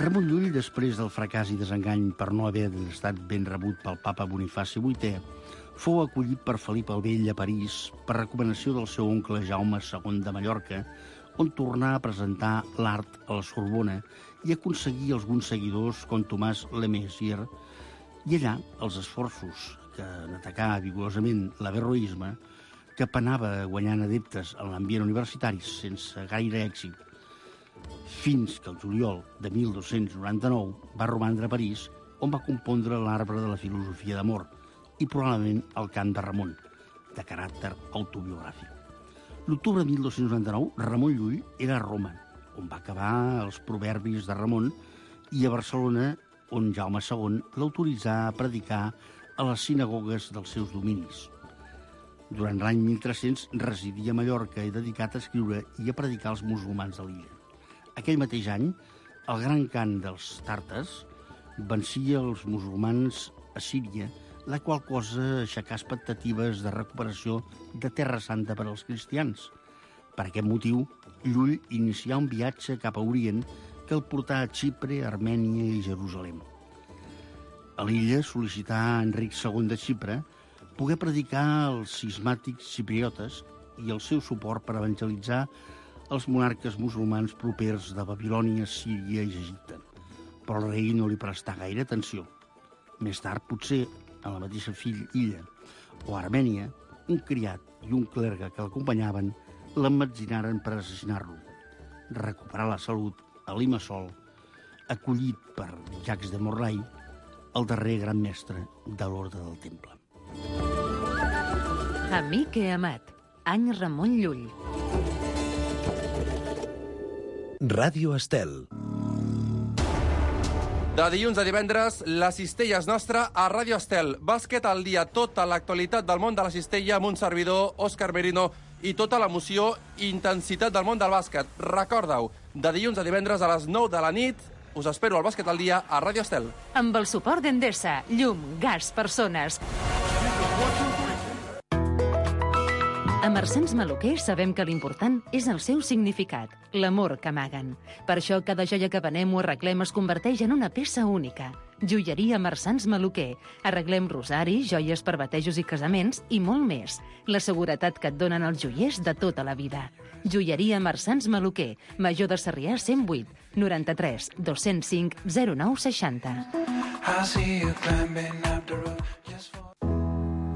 Ramon Llull, després del fracàs i desengany per no haver estat ben rebut pel papa Bonifaci VIII, fou acollit per Felip el Vell a París per recomanació del seu oncle Jaume II de Mallorca, on tornà a presentar l'art a la Sorbona i aconseguir alguns seguidors com Tomàs Le Messier, i allà els esforços que en atacar vigorosament l'averroisme, que penava guanyant adeptes en l'ambient universitari sense gaire èxit, fins que el juliol de 1299 va romandre a París, on va compondre l'Arbre de la filosofia d'amor i probablement el Cant de Ramon, de caràcter autobiogràfic. L'octubre de 1299, Ramon Llull era a Roma, on va acabar els proverbis de Ramon, i a Barcelona, on Jaume II l'autoritzà a predicar a les sinagogues dels seus dominis. Durant l'any 1300 residia a Mallorca i dedicat a escriure i a predicar als musulmans de l'illa. Aquell mateix any, el gran cant dels tàrtars vencia els musulmans a Síria, la qual cosa aixecà expectatives de recuperació de Terra Santa per als cristians. Per aquest motiu, Llull inicià un viatge cap a Orient que el portà a Xipre, Armènia i Jerusalem. A l'illa sol·licità a Enric II de Xipre poder predicar als cismàtics xipriotes i el seu suport per evangelitzar els monarques musulmans propers de Babilònia, Síria i Egipte. Però el rei no li prestà gaire atenció. Més tard, potser, a la mateixa illa o a Armènia, un criat i un clergue que l'acompanyaven l'emmetzinaren per assassinar-lo. Recuperar la salut a Limassol, acollit per Jacques de Morlaix, el darrer gran mestre de l'Orde del Temple. Amic i amat, any Ramon Llull. Ràdio Estel. De dilluns a divendres, la cistella és nostra a Ràdio Estel. Bàsquet al dia, tota l'actualitat del món de la cistella amb un servidor, Òscar Merino, i tota l'emoció i intensitat del món del bàsquet. Recorda-ho, de dilluns a divendres a les 9 de la nit, us espero al Bàsquet al dia a Ràdio Estel. Amb el suport d'Endesa, llum, gas, persones. A Marsans Maluquer sabem que l'important és el seu significat, l'amor que amaguen. Per això cada joia que venem o arreglem es converteix en una peça única. Joieria Marsans Maluquer. Arreglem rosaris, joies per batejos i casaments i molt més. La seguretat que et donen els joiers de tota la vida. Joieria Marsans Maluquer. Major de Sarrià 108 93 205 0960.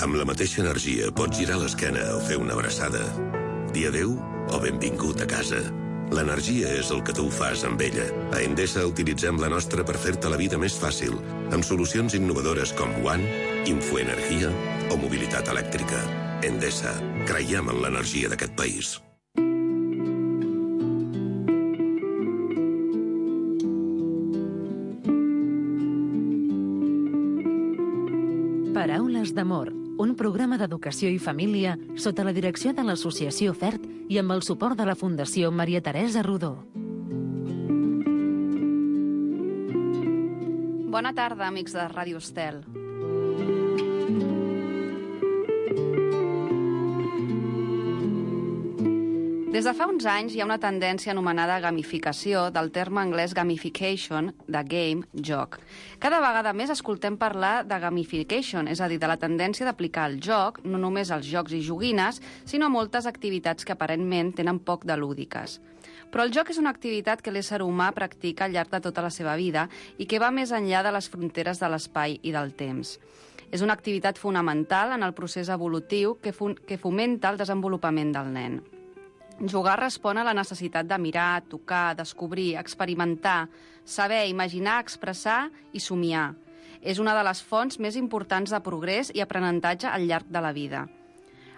Amb la mateixa energia pots girar l'esquena o fer una abraçada. Dir adéu o benvingut a casa. L'energia és el que tu fas amb ella. A Endesa utilitzem la nostra per fer-te la vida més fàcil, amb solucions innovadores com One, Infoenergia o mobilitat elèctrica. Endesa. Creiem en l'energia d'aquest país. Paraules d'amor, un programa d'educació i família sota la direcció de l'Associació FERT i amb el suport de la Fundació Maria Teresa Rodó. Bona tarda, amics de Ràdio Estel. Des de fa uns anys hi ha una tendència anomenada gamificació, del terme anglès gamification, de game, joc. Cada vegada més escoltem parlar de gamification, és a dir, de la tendència d'aplicar el joc, no només als jocs i joguines, sinó a moltes activitats que aparentment tenen poc de lúdiques. Però el joc és una activitat que l'ésser humà practica al llarg de tota la seva vida i que va més enllà de les fronteres de l'espai i del temps. És una activitat fonamental en el procés evolutiu que fomenta el desenvolupament del nen. Jugar respon a la necessitat de mirar, tocar, descobrir, experimentar, saber, imaginar, expressar i somiar. És una de les fonts més importants de progrés i aprenentatge al llarg de la vida.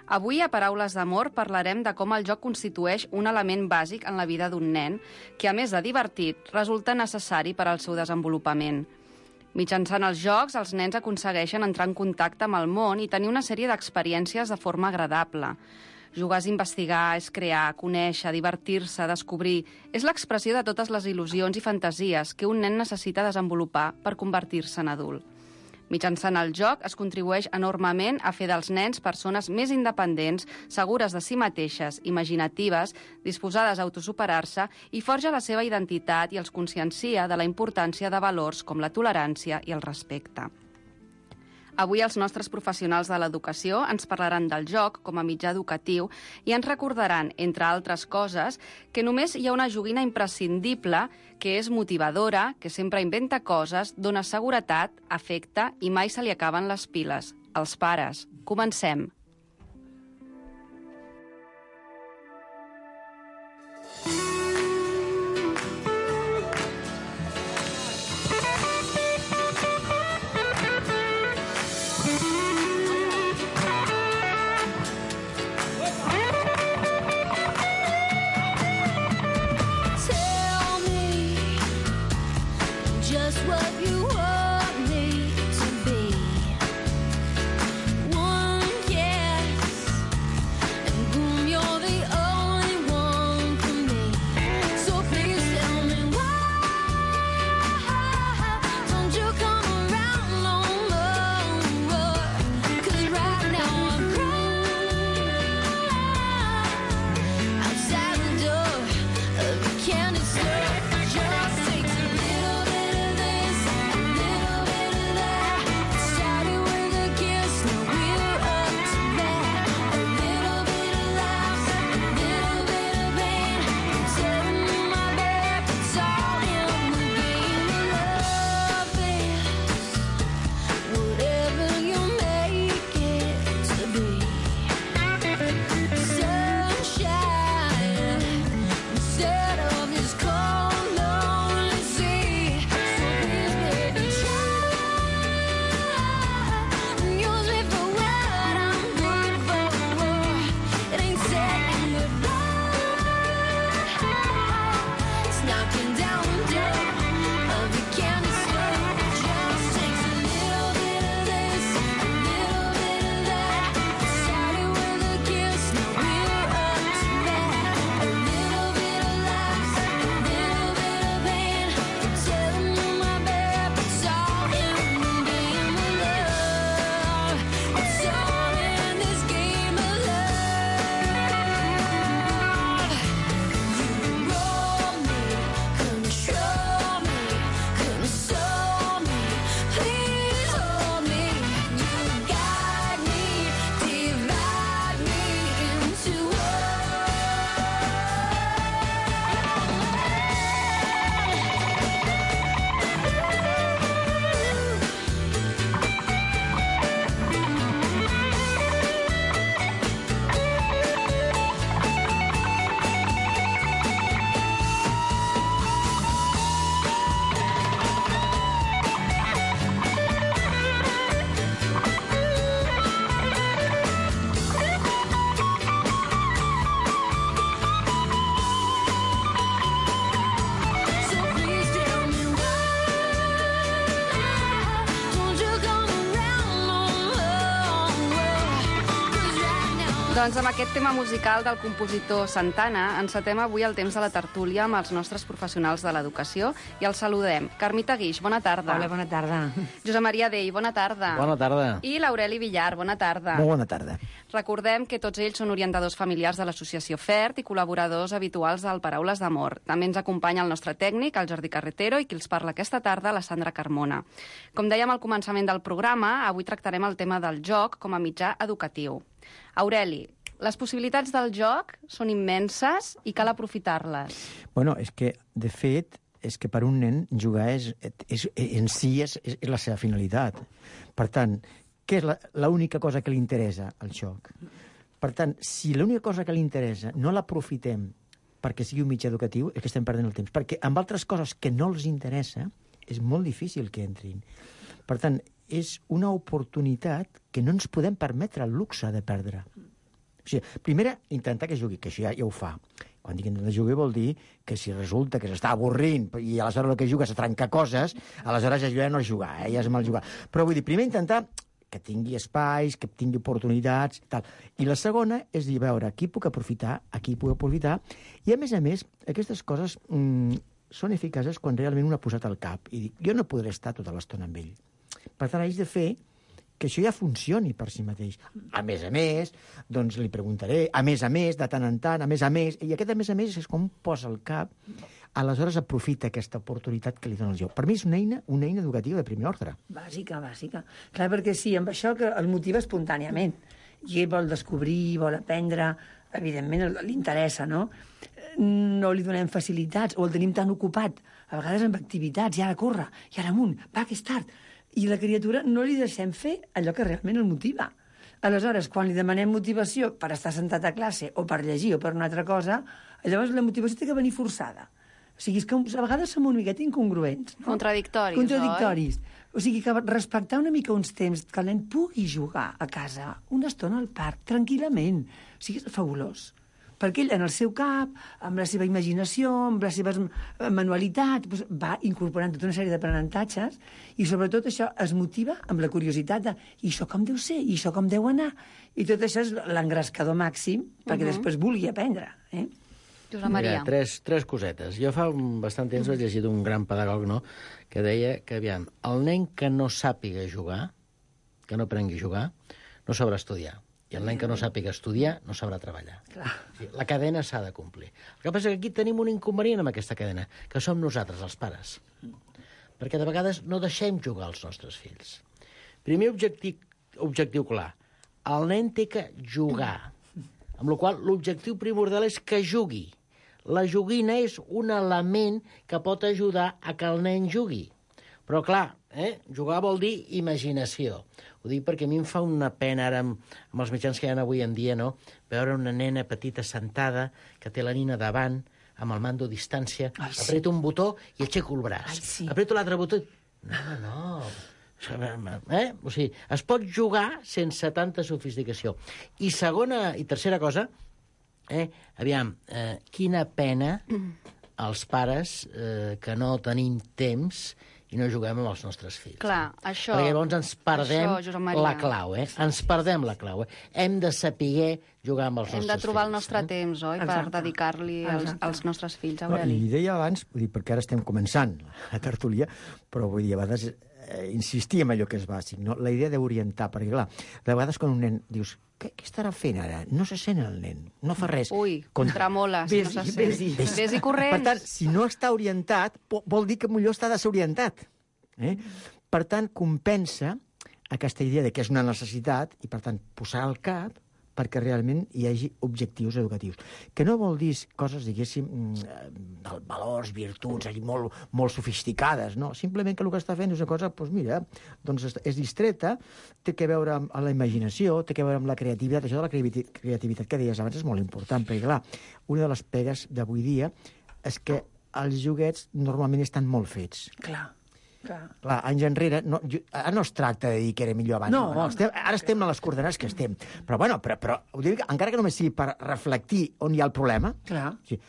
Avui, a Paraules d'Amor, parlarem de com el joc constitueix un element bàsic en la vida d'un nen que, a més de divertit, resulta necessari per al seu desenvolupament. Mitjançant els jocs, els nens aconsegueixen entrar en contacte amb el món i tenir una sèrie d'experiències de forma agradable. Jugar és investigar, és crear, conèixer, divertir-se, descobrir. És l'expressió de totes les il·lusions i fantasies que un nen necessita desenvolupar per convertir-se en adult. Mitjançant el joc es contribueix enormement a fer dels nens persones més independents, segures de si mateixes, imaginatives, disposades a autosuperar-se i forja la seva identitat i els consciencia de la importància de valors com la tolerància i el respecte. Avui els nostres professionals de l'educació ens parlaran del joc com a mitjà educatiu i ens recordaran, entre altres coses, que només hi ha una joguina imprescindible, que és motivadora, que sempre inventa coses, dona seguretat, afecte i mai se li acaben les piles. Els pares. Comencem. Doncs amb aquest tema musical del compositor Santana encetem avui el temps de la tertúlia amb els nostres professionals de l'educació i els saludem. Carmita Guix, bona tarda. Hola, bona tarda. Josep Maria Dei, bona tarda. Bona tarda. I l'Aureli Villar, bona tarda. Molt bona tarda. Recordem que tots ells són orientadors familiars de l'associació FERT i col·laboradors habituals del Paraules d'Amor. També ens acompanya el nostre tècnic, el Jordi Carretero, i qui els parla aquesta tarda, la Sandra Carmona. Com dèiem al començament del programa, avui tractarem el tema del joc com a mitjà educatiu. Aureli, les possibilitats del joc són immenses i cal aprofitar-les. Bueno, és que, de fet, és que per un nen jugar en si és la seva finalitat. Per tant, què és l'única cosa que li interessa al joc? Per tant, si l'única cosa que li interessa no l'aprofitem perquè sigui un mitjà educatiu, és que estem perdent el temps. Perquè amb altres coses que no els interessa, és molt difícil que entrin. Per tant, és una oportunitat que no ens podem permetre el luxe de perdre. O sigui, primer, intentar que jugui, que això ja ho fa. Quan dic intentar jugar vol dir que si resulta que s'està avorrint i aleshores el que juga és a trencar coses, aleshores ja no és jugar, ja és mal jugar. Però vull dir, primer intentar que tingui espais, que tingui oportunitats, tal. I la segona és dir, veure, aquí puc aprofitar, i a més, aquestes coses són eficaces quan realment un ha posat al cap i dic, jo no podré estar tota l'estona amb ell. Per tant, haig de fer que això ja funcioni per si mateix. A més, doncs li preguntaré, a més, de tant en tant, a més, i aquest a més és com posa el cap, aleshores aprofita aquesta oportunitat que li dona el joc. Per mi és una eina educativa de primer ordre. Bàsica. Clar, perquè sí, amb això que el motiva espontàniament. I ell vol descobrir, vol aprendre, evidentment li interessa, no? No li donem facilitats, o el tenim tan ocupat, a vegades amb activitats, i ara corre, i ara amunt, va, que és tard. I la criatura no li deixem fer allò que realment el motiva. Aleshores, quan li demanem motivació per estar sentat a classe, o per llegir, o per una altra cosa, llavors la motivació té que venir forçada. O sigui, és que a vegades som una miqueta incongruents. No? Contradictoris, oi? O sigui, que respectar una mica uns temps que el nen pugui jugar a casa una estona al parc, tranquil·lament. O sigui, és fabulós. Perquè ell, en el seu cap, amb la seva imaginació, amb les seves manualitats, doncs va incorporant tota una sèrie d'aprenentatges i, sobretot, això es motiva amb la curiositat de i això com deu ser, i això com deu anar. I tot això és l'engrescador màxim perquè després vulgui aprendre. Josep Maria. Mira, tres cosetes. Jo fa bastant temps vaig llegir d'un gran pedagog, no?, que deia que, aviam, el nen que no sàpiga jugar, que no aprengui a jugar, no sabrà estudiar. I el nen que no sàpiga estudiar no sabrà treballar. Clar. La cadena s'ha de complir. El que passa és que aquí tenim un inconvenient amb aquesta cadena, que som nosaltres, els pares. Perquè de vegades no deixem jugar els nostres fills. Primer objectiu clar. El nen té que jugar. Amb la qual cosa, l'objectiu primordial és que jugui. La joguina és un element que pot ajudar a que el nen jugui. Però, clar, jugar vol dir imaginació. Ho dic perquè a mi em fa una pena ara amb els mitjans que hi ha avui en dia, no?, veure una nena petita sentada que té la nina davant, amb el mando a distància, apreta un botó i aixeco el braç. Apreto l'altre botó i... No. O sigui, es pot jugar sense tanta sofisticació. I segona i tercera cosa, aviam, quina pena els pares que no tenim temps i no juguem amb els nostres fills. Clar, això... Perquè llavors ens perdem la clau, Ens perdem la clau, Hem de saber jugar amb els nostres fills. Hem de trobar el nostre temps, oi?, per dedicar-li als nostres fills, Aureli. I deia abans, perquè ara estem començant la tertúlia, però vull dir, a vegades insistir en allò que és bàsic, no? La idea d'orientar, perquè clar, de vegades quan un nen dius, què estarà fent ara? No se sent el nen, no fa res. Ui, tremola, si no se sent. Ves-hi corrents. Per tant, si no està orientat, vol dir que millor està desorientat. Per tant, compensa aquesta idea de que és una necessitat i, per tant, posar el cap perquè realment hi hagi objectius educatius. Que no vol dir coses, diguéssim, valors, virtuts, molt sofisticades, no? Simplement que el que està fent és una cosa, doncs mira, doncs és distreta, té que veure amb la imaginació, té que veure amb la creativitat. Això de la creativitat que deies abans és molt important, perquè, clar, una de les pegues d'avui dia és que els joguets normalment estan molt fets. Clar, anys enrere, ara no es tracta de dir que era millor abans. No. Ara estem a les coordenades que estem. Però, bueno, ho dic, encara que només sigui per reflectir on hi ha el problema,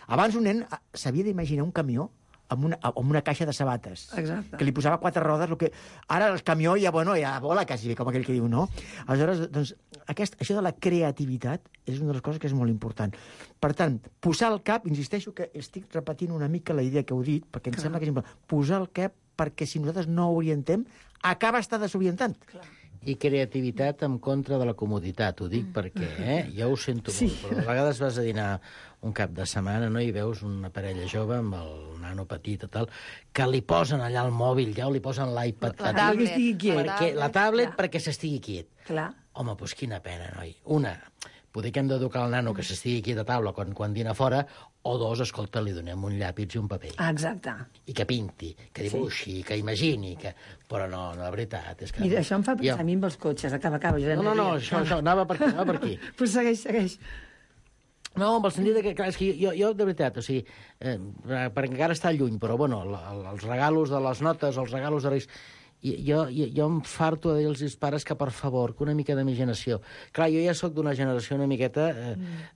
abans un nen s'havia d'imaginar un camió amb una caixa de sabates. Exacte. Que li posava 4 rodes. Ara el camió ja vola quasi bé, com aquell que diu, no? Aleshores, doncs, això de la creativitat és una de les coses que és molt important. Per tant, posar el cap, insisteixo que estic repetint una mica la idea que heu dit, perquè em sembla que és important. Posar el cap perquè si nosaltres no orientem, acaba estar desorientant. I creativitat en contra de la comoditat, ho dic perquè, jo ho sento molt, però a vegades vas a dinar un cap de setmana, no?, i veus una parella jove amb el nano petit i tal, que li posen allà el mòbil, ja, o li posen l'iPad. La tablet perquè s'estigui quiet. Clar. Home, doncs quina pena, noi. Una, poder que hem d'educar el nano que s'estigui quiet a taula quan dina fora, o dos, escolta, li donem un llàpis i un paper. Exacte. I que pinti, que dibuixi, que imagini, però no, la veritat és que... Mira, això em fa pensar a mi amb els cotxes. Acaba, Josep Maria. No, això, anava per aquí. Pues segueix. No, amb el sentit que, clar, és que jo de veritat, o sigui, perquè encara està lluny, però, bueno, els regalos de les notes, els regalos de Reis... Jo em farto de dir als pares que, per favor, que una mica d'imaginació. Clar, jo ja sóc d'una generació una miqueta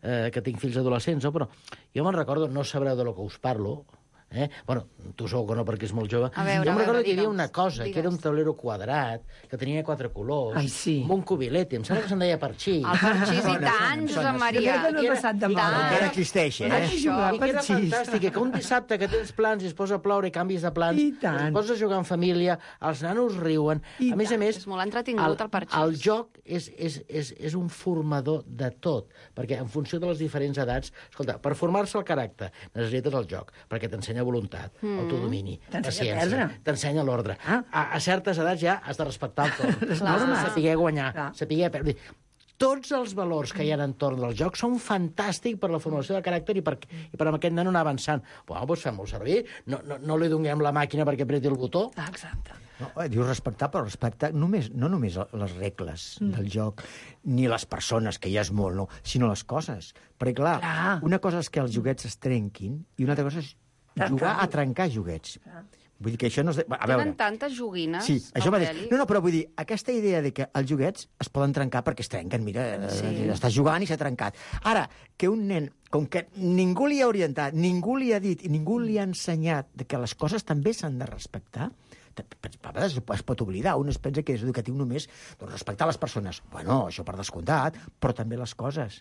que tinc fills adolescents, no? Però jo me'n recordo, no sabreu de lo que us parlo, Bueno, tu segur que no, perquè és molt jove. A veure, jo em recordo que hi havia digue'ns, una cosa, que era un digues. taulero quadrat, que tenia 4 colors, Ai, sí. amb un cubilete, em sembla que se'n deia parxís. El parxís i tant, Josep Maria. Jo crec que no he passat de moda. Encara existeix, Vaig eh? jugar I que era parxís. fantàstic, que un dissabte que tens plans i es posa a ploure i canvis de plans, I tant. es posa a jugar en família, els nanos riuen. I A més a més, És molt entretingut, el parxís. el joc és un formador de tot, perquè en funció de les diferents edats, escolta, per formar-se el caràcter necessites el joc, perquè t'ensenya voluntat, autodomini, T'ensenya a paciència, perdre. t'ensenya l'ordre. Ah. A certes edats ja has de respectar el torn, Les has de normes. saber guanyar, Clar. saber perdre. Tots els valors que hi ha en entorn del joc són fantàstics per la formació de caràcter i per amb aquest nen anar avançant. Bueno, doncs fem-ho servir, no li donem la màquina perquè apreti el botó. Exacte. No, dius respectar, però respectar no només les regles del joc, ni les persones, que ja és molt, no, sinó les coses. Perquè, clar, una cosa és que els joguets es trenquin i una altra cosa és jugar a trencar joguets. Vull dir que això no és... A veure... Tenen tantes joguines, Sí, això mateix. Aureli. No, però vull dir, aquesta idea de que els joguets es poden trencar perquè es trenquen, mira, estàs jugant i s'ha trencat. Ara, que un nen, com que ningú li ha orientat, ningú li ha dit i ningú li ha ensenyat de que les coses també s'han de respectar, a vegades es pot oblidar, un es pensa que és educatiu només doncs, respectar les persones. Bueno, això per descomptat, però també les coses.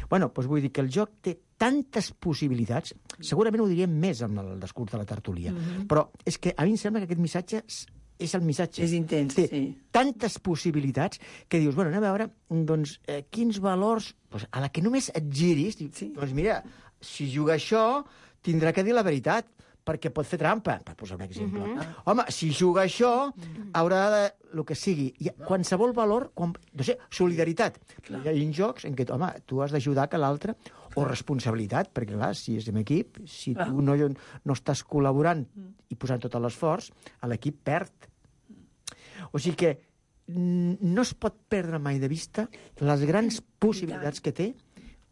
Bueno, doncs vull dir que el joc té tantes possibilitats, segurament ho diríem més amb el discurs de la tertúlia, però és que a mi em sembla que aquest missatge és el missatge. És intens, té sí. tantes possibilitats que dius, bueno, anem a veure doncs, quins valors, doncs, a la que només et giris, doncs mira, si juga això, tindrà que dir la veritat, perquè pot fer trampa, per posar un exemple. Home, si juga això, haurà de... el que sigui. Qualsevol valor, no sé, solidaritat. Hi ha jocs en què, home, tu has d'ajudar que l'altre, o responsabilitat, perquè, clar, si és en equip, si tu no estàs col·laborant i posant tot l'esforç, l'equip perd. O sigui que no es pot perdre mai de vista les grans possibilitats que té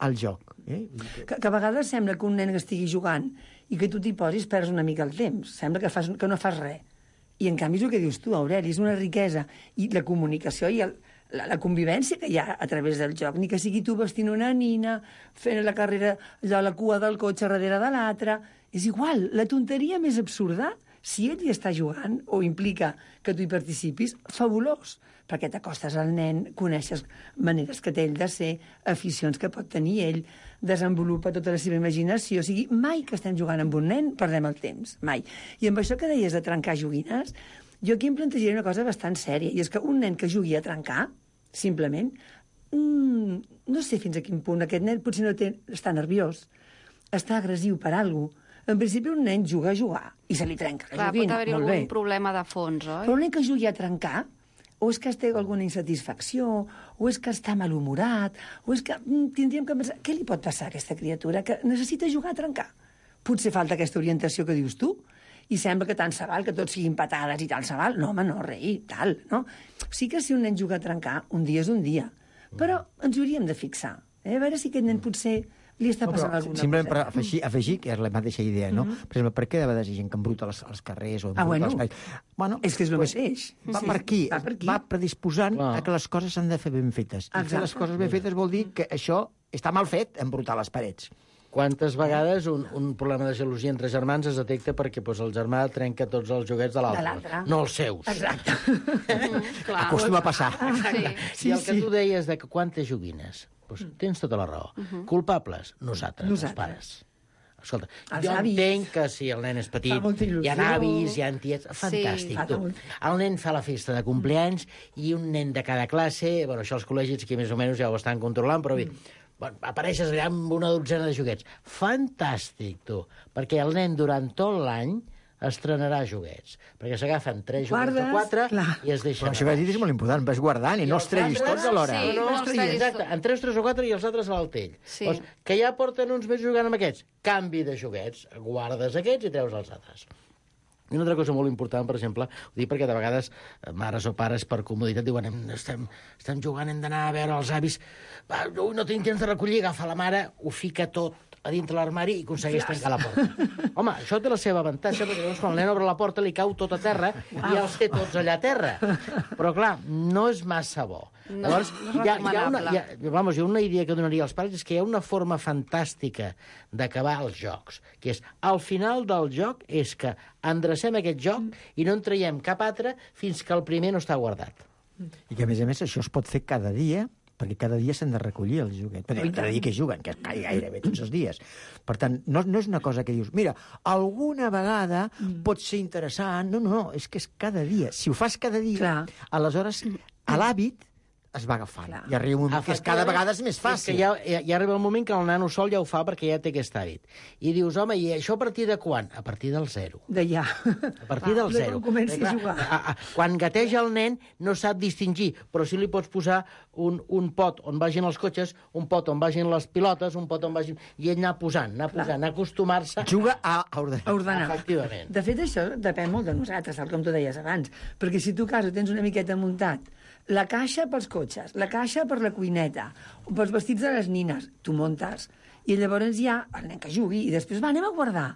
el joc. Que a vegades sembla que un nen que estigui jugant i que tu t'hi posis perds una mica el temps. Sembla que no fas res. I, en canvi, és el que dius tu, Aureli, és una riquesa. I la comunicació i la convivència que hi ha a través del joc, ni que sigui tu vestint una nina, fent la carrera allò a la cua del cotxe darrere de l'altre, és igual, la tonteria més absurda, si ell hi està jugant o implica que tu hi participis, fabulós, perquè t'acostes al nen, coneixes maneres que té ell de ser, aficions que pot tenir ell, desenvolupa tota la seva imaginació. O sigui, mai que estem jugant amb un nen perdem el temps, mai. I amb això que deies de trencar joguines, jo aquí em plantejaria una cosa bastant sèria, i és que un nen que jugui a trencar, simplement, no sé fins a quin punt aquest nen potser està nerviós, està agressiu per alguna cosa. En principi, un nen juga a jugar i se li trenca la Clar, joguina. pot haver-hi Molt algun bé. problema de fons, oi? Però un nen que jugui a trencar, o és que té alguna insatisfacció, o és que està malhumorat, o és que tindríem que pensar... Què li pot passar a aquesta criatura que necessita jugar a trencar? Potser falta aquesta orientació que dius tu, i sembla que tant se val, que tots siguin patades i tal se val. No, home, no, rei, tal, no? Sí que si un nen juga a trencar, un dia és un dia. Però ens ho hauríem de fixar. A veure si aquest nen potser li està passant alguna simplement cosa. per afegir, que és la mateixa idea, no? Per exemple, per què de vegades hi ha gent que embruta als carrers o embruta als espais? Bueno, és que és el mateix. Va per aquí, va predisposant a que les coses s'han de fer ben fetes. I fer les coses ben fetes vol dir que això està mal fet, embrutar les parets. Quantes vegades un problema de gelosia entre germans es detecta perquè el germà trenca tots els joguets de l'altre, no els seus. Exacte. Acostuma a passar. I el que tu deies de que quantes joguines, doncs tens tota la raó. Culpables? Nosaltres, els pares. Escolta, jo entenc que si el nen és petit, hi ha avis, hi ha tiets... Fantàstic, tu. El nen fa la festa de compleanys i un nen de cada classe... Bueno, això els col·legis que més o menys ja ho estan controlant, però bé, apareixes allà amb una dotzena de joguets. Fantàstic, tu. Perquè el nen durant tot l'any estrenarà joguets. Perquè s'agafen 3 joguets o 4 i es deixen... Però això que has dit és molt important, vas guardant i no els treguis tots alhora. Sí, No els treguis, exacte. En 3 o 4 i els altres a l'altell. Doncs, que ja porten uns mesos jugant amb aquests. Canvi de joguets. Guardes aquests i treus els altres. I una altra cosa molt important, per exemple, ho dic perquè de vegades mares o pares per comoditat diuen estem jugant, hem d'anar a veure els avis, no tinc temps de recollir, agafa la mare, ho fica tot a dintre l'armari i aconsegueix tancar la porta. Home, això té la seva avantatge, perquè llavors quan el nen obre la porta li cau tot a terra i ja els té tots allà a terra. Però, clar, no és massa bo. Llavors, hi ha una idea que donaria als pares, és que hi ha una forma fantàstica d'acabar els jocs, que és, al final del joc, és que endrecem aquest joc i no en traiem cap altre fins que el primer no està guardat. I que, a més, això es pot fer cada dia, perquè cada dia s'han de recollir els joguets. Cada dia que juguen, que gairebé tots els dies. Per tant, no és una cosa que dius, mira, alguna vegada pot ser interessant. No, és que és cada dia. Si ho fas cada dia, aleshores, a l'hàbit es va agafant. I arriba un moment que cada vegada és més fàcil. És que ja arriba el moment que el nano sol ja ho fa perquè ja té aquest hàbit. I dius, home, i això a partir de quan? A partir del 0. De ja. A partir del 0. Comenci a jugar. Quan gateja el nen no sap distingir, però sí li pots posar un pot on vagin els cotxes, un pot on vagin les pilotes, un pot on vagin... I ell anar posant, acostumar-se... Juga a ordenar. Efectivament. De fet, això depèn molt de nosaltres, tal com tu deies abans. Perquè si tu a casa tens una miqueta muntat la caixa pels cotxes, la caixa per la cuineta, o pels vestits de les nines, tu muntes, i llavors hi ha el nen que jugui, i després anem a guardar.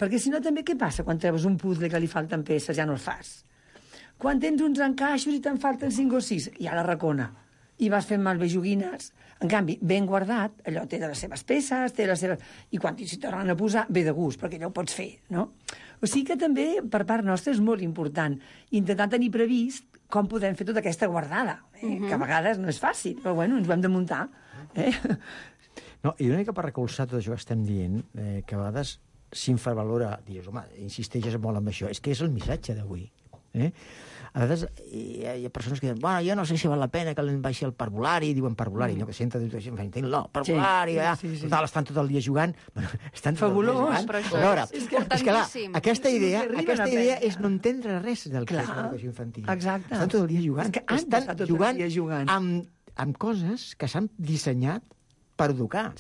Perquè si no, també què passa quan treus un puzzle que li falten peces, ja no el fas? Quan tens uns encaixos i te'n falten 5 o 6, ja la racona. I vas fent malbé joguines. En canvi, ben guardat, allò té de les seves peces, té les seves... I quan s'hi tornen a posar, ve de gust, perquè allò ho pots fer, no? O sigui que també, per part nostra, és molt important intentar tenir previst com podem fer tota aquesta guardada, que a vegades no és fàcil, però bueno, ens ho hem de muntar. No, i una mica per recolzar tot això que estem dient, que a vegades s'infravalora, dius, home, insisteixes molt amb això, és que és el missatge d'avui. A vegades hi ha persones que diuen, bueno, jo no sé si val la pena que l'en baixi el parvulari, diuen parvulari, no, que senta, no, parvulari, estan tot el dia jugant, estan fabulós, però això és importantíssim. Aquesta idea és no entendre res del que és l'educació infantil. Exacte. Estan tot el dia jugant. Estan jugant amb coses que s'han dissenyat per educar,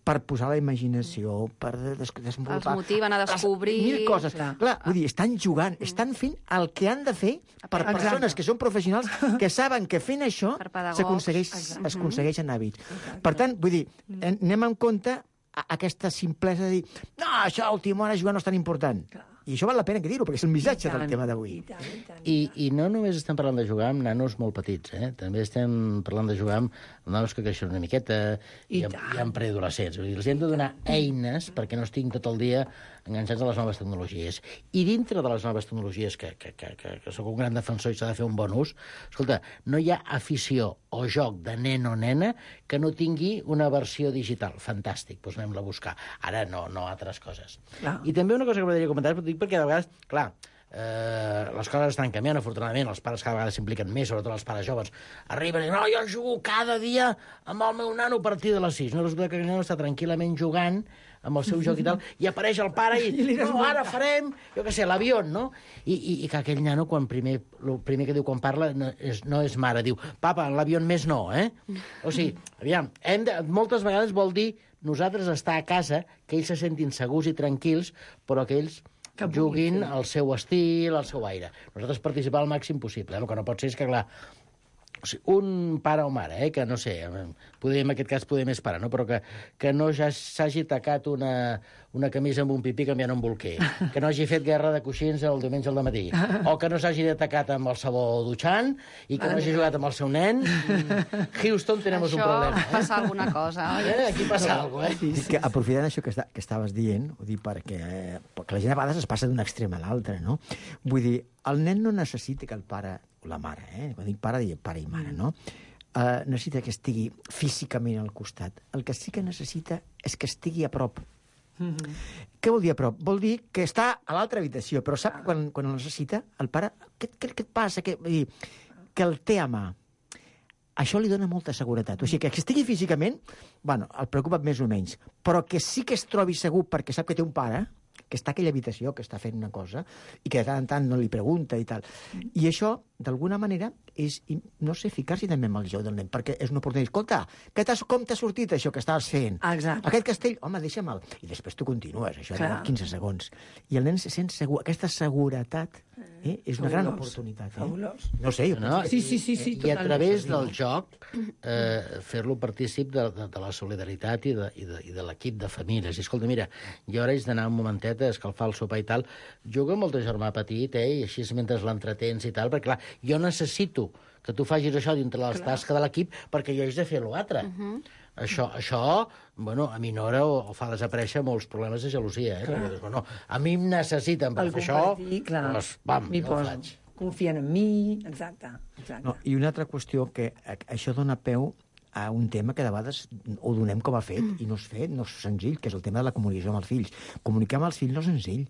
per posar la imaginació, per desenvolupar... Els motiven a descobrir... Mil coses. Clar, vull dir, estan jugant, estan fent el que han de fer per persones que són professionals, que saben que fent això s'aconsegueixen hàbits. Per tant, vull dir, anem en compte aquesta simplesa de dir no, això a última hora jugar no és tan important. I això val la pena que dir-ho, perquè és el missatge del tema d'avui. I no només estem parlant de jugar amb nanos molt petits, també estem parlant de jugar amb nanos que creixen una miqueta i amb preadolescents. Els hem de donar eines perquè no estiguin tot el dia enganxats a les noves tecnologies. I dintre de les noves tecnologies, que sóc un gran defensor i s'ha de fer un bon ús, escolta, no hi ha afició o joc de nen o nena que no tingui una versió digital. Fantàstic, doncs anem-la a buscar. Ara no altres coses. I també una cosa que m'agradaria comentar, perquè de vegades, clar, les coses estan canviant, afortunadament, els pares cada vegada s'impliquen més, sobretot els pares joves, arriben i no, jo jugo cada dia amb el meu nano a partir de les 6. No, resulta que el nano està tranquil·lament jugant amb el seu joc i tal, i apareix el pare i no, ara farem, jo què sé, l'avió, no? I que aquell nano, el primer que diu quan parla no és mare, diu, papa, l'avió més no, O sigui, aviam, moltes vegades vol dir nosaltres estar a casa, que ells se sentin segurs i tranquils, però que ells juguin al seu estil, al seu aire. Nosaltres participar al màxim possible. El que no pot ser és que, clar, un pare o mare, que no sé, en aquest cas poder més pare, no? Però que no ja s'hagi tacat una camisa amb un pipí canviant un bolquer, que no hagi fet guerra de coixins el diumenge al dematí, o que no s'hagi tacat amb el sabó dutxant i que no hagi jugat amb el seu nen. Houston, tenemos un problema. Això passa alguna cosa, oi? Aquí passa alguna cosa, Que aprofitant això que estaves dient, ho dic perquè la gent a vegades es passa d'un extrem a l'altre, no? Vull dir, el nen no necessita que el pare o la mare, quan dic pare, dic pare i mare, no? Necessita que estigui físicament al costat. El que sí que necessita és que estigui a prop. Què vol dir a prop? Vol dir que està a l'altra habitació, però sap quan el necessita, el pare, què et passa? Que el té a mà. Això li dona molta seguretat. O sigui, que estigui físicament, bueno, el preocupa més o menys, però que sí que es trobi segur perquè sap que té un pare, que està a aquella habitació, que està fent una cosa, i que de tant en tant no li pregunta i tal. I això, d'alguna manera, és, no sé, ficar-s'hi també amb el joc del nen, perquè és una oportunitat. Escolta, com t'ha sortit això que estaves fent? Exacte. Aquest castell, home, deixa'm-el. I després tu continues, això de 15 segons. I el nen se sent segur. Aquesta seguretat és una gran oportunitat. Fabulós. No sé, jo No, Sí, I a través del joc fer-lo partícip de la solidaritat i de l'equip de famílies. I escolta, mira, jo ara haig d'anar un momentet a escalfar el sopar i tal. Juga amb el teu germà petit, i així mentre l'entretens i tal, perquè clar, jo necessito que tu facis això dintre les tasques de l'equip perquè jo haig de fer l'altre. Això, bueno, aminora o fa desaparèixer molts problemes de gelosia, perquè dius, bueno, a mi em necessiten per fer això, doncs, pam, jo ho faig. Confien en mi, exacte. No, i una altra qüestió, que això dona peu a un tema que de vegades ho donem com a fet, i no és fet, no és senzill, que és el tema de la comunicació amb els fills. Comunicar amb els fills no és senzill.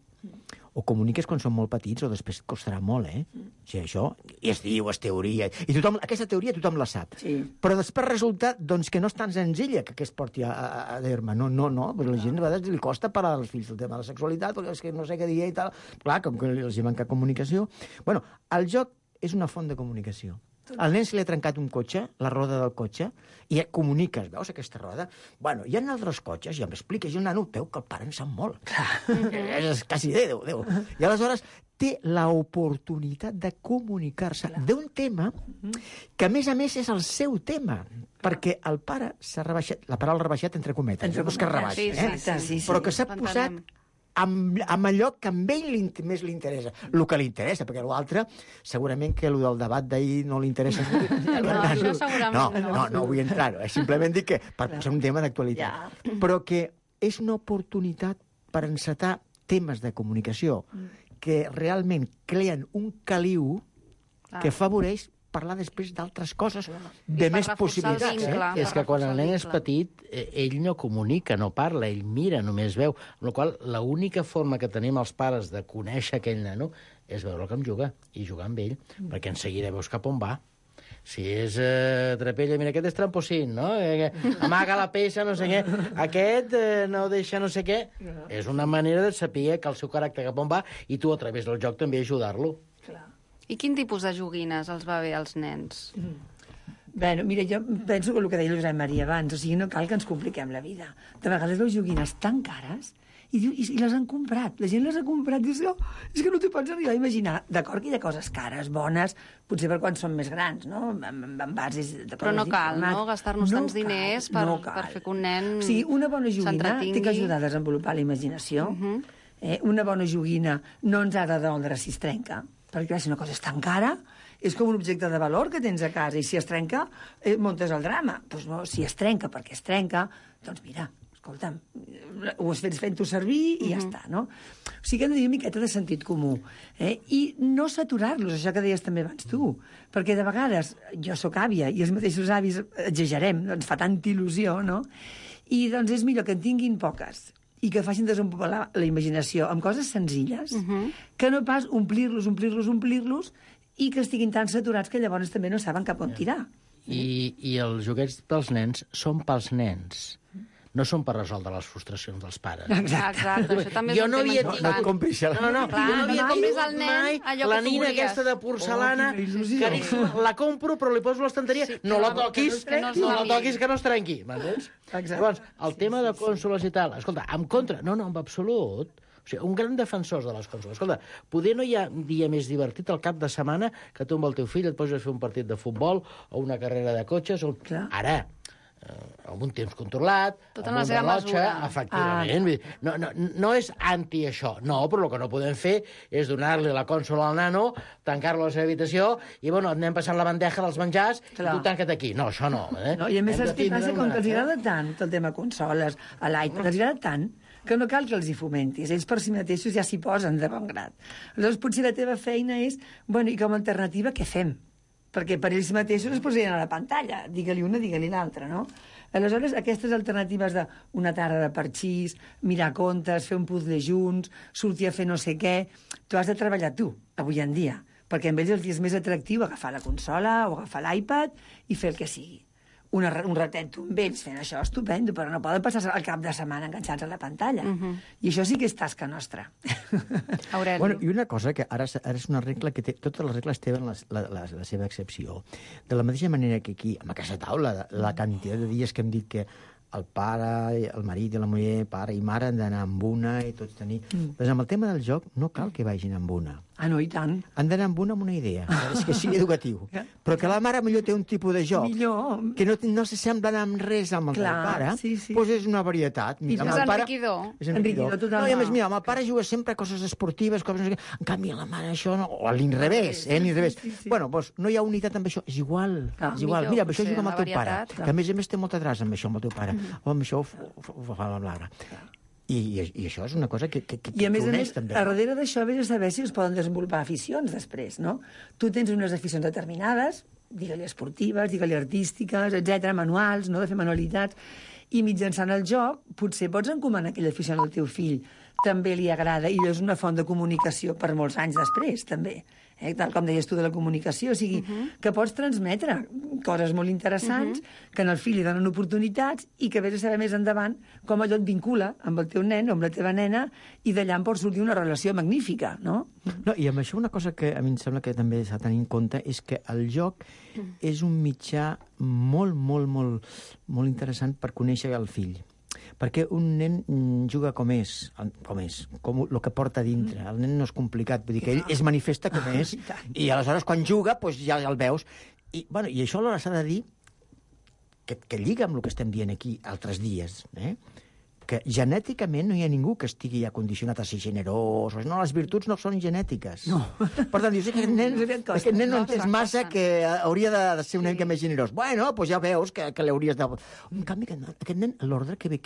O comuniques quan són molt petits o després et costarà molt, O sigui, això, i es diu, es teoria, i tothom, aquesta teoria tothom la sap. Sí. Però després resulta doncs, que no és tan senzilla que es porti a terme. No, però la gent a vegades li costa parlar als fills del tema de la sexualitat, perquè és que no sé què dir i tal. Clar, com que els hi manca comunicació. Bueno, el joc és una font de comunicació. Al nen se li ha trencat un cotxe, la roda del cotxe, i comuniques, veus aquesta roda? Bueno, hi ha altres cotxes, i em expliques, i el nano veu que el pare en sap molt. És quasi Déu. I aleshores té l'oportunitat de comunicar-se d'un tema que, a més és el seu tema, perquè el pare s'ha rebaixat, la paraula rebaixat entre cometes, no és que rebaixa, però que s'ha posat amb allò que a ell més li interessa. El que li interessa, perquè l'altre, segurament que el del debat d'ahir no li interessa. Això segurament no. No vull entrar-ho. Simplement dic que per ser un tema d'actualitat. Però que és una oportunitat per encetar temes de comunicació que realment creen un caliu que afavoreix parlar després d'altres coses de més possibilitats. És que quan el nen és petit, ell no comunica, no parla, ell mira, només veu. Amb la qual cosa, l'única forma que tenim els pares de conèixer aquell nano és veure com juga i jugar amb ell, perquè en seguida veus cap on va. Si és trapella, mira, aquest és tramposín, no? Amaga la peça, no sé què. Aquest no deixa no sé què. És una manera de saber que el seu caràcter cap on va i tu, a través del joc, també ajudar-lo. I quin tipus de joguines els va bé als nens? Bé, mira, jo penso que el que deia el Josep Maria abans, o sigui, no cal que ens compliquem la vida. De vegades veus joguines tan cares i les han comprat. La gent les ha comprat i dius, és que no t'ho pots arribar a imaginar. D'acord que hi ha coses cares, bones, potser per quan són més grans, no? En bases de coses. Però no cal, no?, gastar-nos tants diners per fer que un nen s'entretingui. O sigui, una bona joguina té que ajudar a desenvolupar la imaginació. Una bona joguina no ens ha de doldre si es trenca, perquè si una cosa és tan cara, és com un objecte de valor que tens a casa, i si es trenca, muntes el drama. Doncs no, si es trenca perquè es trenca, doncs mira, escolta'm, ho has fet fent-ho servir i ja està, no? O sigui que hem de dir una miqueta de sentit comú. I no saturar-los, això que deies també abans tu, perquè de vegades jo sóc àvia i els mateixos avis exagerem, ens fa tanta il·lusió, no? I doncs és millor que en tinguin poques i que facin desenvolupar la imaginació amb coses senzilles, que no pas omplir-los i que estiguin tan saturats que llavors també no saben cap on tirar. I els joguets dels nens són pels nens. No són per resoldre les frustracions dels pares. Exacte, això també és un tema important. No et compris això. No, clar, jo no havia compris tingut al nen mai allò que la tu nina volies. aquesta de porcelana, caríssima, la compro però li poso a l'estanteria, no la toquis, no la toquis que no es trenqui, m'entens? Llavors, el tema de consoles i tal, escolta, en contra, no, en absolut, o sigui, un gran defensor de les consoles. Escolta, poder no hi ha dia més divertit al cap de setmana que tu amb el teu fill et poses a fer un partit de futbol o una carrera de cotxes. Ara, amb un temps controlat, tot amb en la un seva rellotge, mesura. efectivament. No és anti això, no, però el que no podem fer és donar-li la consola al nano, tancar-lo a la seva habitació i, bueno, anem passant la bandeja dels menjars i tu tanca't aquí. No, això no. No, i a més, saps què passa? Com que els agrada tant el tema consoles, a l'iPad, els agrada tant que no cal que els hi fomentis. Ells per si mateixos ja s'hi posen de bon grat. Aleshores, potser la teva feina és, bueno, i com a alternativa, què fem? Perquè per ells mateixos es posarien a la pantalla. Digue-li una, digue-li l'altra, no? Aleshores, aquestes alternatives d'una tarda de parxís, mirar contes, fer un puzzle junts, sortir a fer no sé què, tu has de treballar tu, avui en dia, perquè amb ells els és més atractiu agafar la consola o agafar l'iPad i fer el que sigui. un ratet amb ells fent això, estupendo, però no poden passar el cap de setmana enganxats a la pantalla. I això sí que és tasca nostra. Aureli. Bueno, i una cosa que ara és una regla que totes les regles tenen la seva excepció. De la mateixa manera que aquí, amb aquesta taula, la quantitat de dies que hem dit que el pare, el marit i la muller, pare i mare, han d'anar amb una i tots tenir... Doncs amb el tema del joc no cal que vagin amb una. Ah, no, i tant. Han d'anar amb una idea, és que sigui educatiu. Però que la mare millor té un tipus de joc que no s'assemblen amb res amb el pare, doncs és una varietat. És enriquidor. És enriquidor. No, i a més, mira, amb el pare juga sempre a coses esportives, en canvi a la mare això no... O a l'inrevés, Bueno, doncs no hi ha unitat amb això, és igual. Mira, amb això juga amb el teu pare, que a més té molta traça amb això, amb el teu pare. O amb això ho fa la Lara. I això és una cosa que i a més, també. A darrere d'això vés a saber si es poden desenvolupar aficions després, no? Tu tens unes aficions determinades, digue-li esportives, digue-li artístiques, etc, manuals, no?, de fer manualitats, i mitjançant el joc potser pots encomanar aquella afició al teu fill, també li agrada, i és una font de comunicació per molts anys després, també. Tal com deies tu de la comunicació, o sigui, que pots transmetre coses molt interessants, que en el fill li donen oportunitats i que vés a saber més endavant com allò et vincula amb el teu nen o amb la teva nena i d'allà en pot sortir una relació magnífica, no? No, i amb això una cosa que a mi em sembla que també s'ha de tenir en compte és que el joc és un mitjà molt interessant per conèixer el fill. Perquè un nen juga com és, com el que porta dintre. El nen no és complicat, vull dir que ell es manifesta com és, i aleshores quan juga doncs ja el veus. I això alhora s'ha de dir que lliga amb el que estem dient aquí altres dies, que genèticament no hi ha ningú que estigui ja condicionat a ser generós. No, les virtuts no són genètiques. No. Per tant, dius, aquest nen no entens massa que hauria de ser una mica més generós. Bueno, doncs ja veus que l'hauries de... En canvi, aquest nen, l'ordre que ve...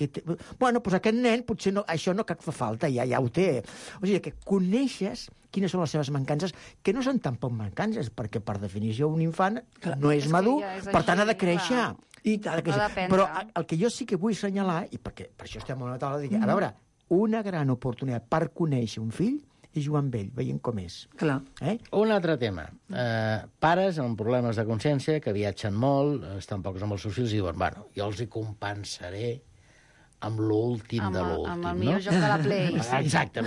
Bueno, doncs aquest nen potser això no fa falta, ja ho té. O sigui, que coneixes quines són les seves mancances, que no són tampoc mancances, perquè per definició un infant no és madur, per tant ha de créixer. Però el que jo sí que vull assenyalar, i per això estem a la taula, a veure, una gran oportunitat per conèixer un fill és jugar amb ell, veient com és. Un altre tema. Pares amb problemes de consciència, que viatgen molt, estan pocs amb els seus fills, i diuen, bueno, jo els hi compensaré amb l'últim de l'últim. Amb el millor joc de la Play. Exacte.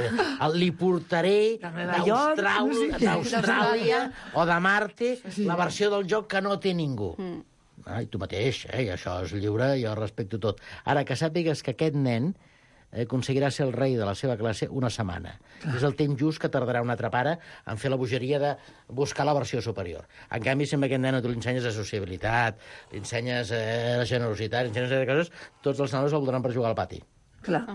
Li portaré d'Austràlia o de Marte la versió del joc que no té ningú. I tu mateix, i això és lliure, jo respecto tot. Ara, que sàpigues que aquest nen aconseguirà ser el rei de la seva classe una setmana. És el temps just que tardarà un altre pare en fer la bogeria de buscar la versió superior. En canvi, si a aquest nen tu li ensenyes de sociabilitat, li ensenyes la generositat, li ensenyes coses, tots els nanos el voldran per jugar al pati. Clar.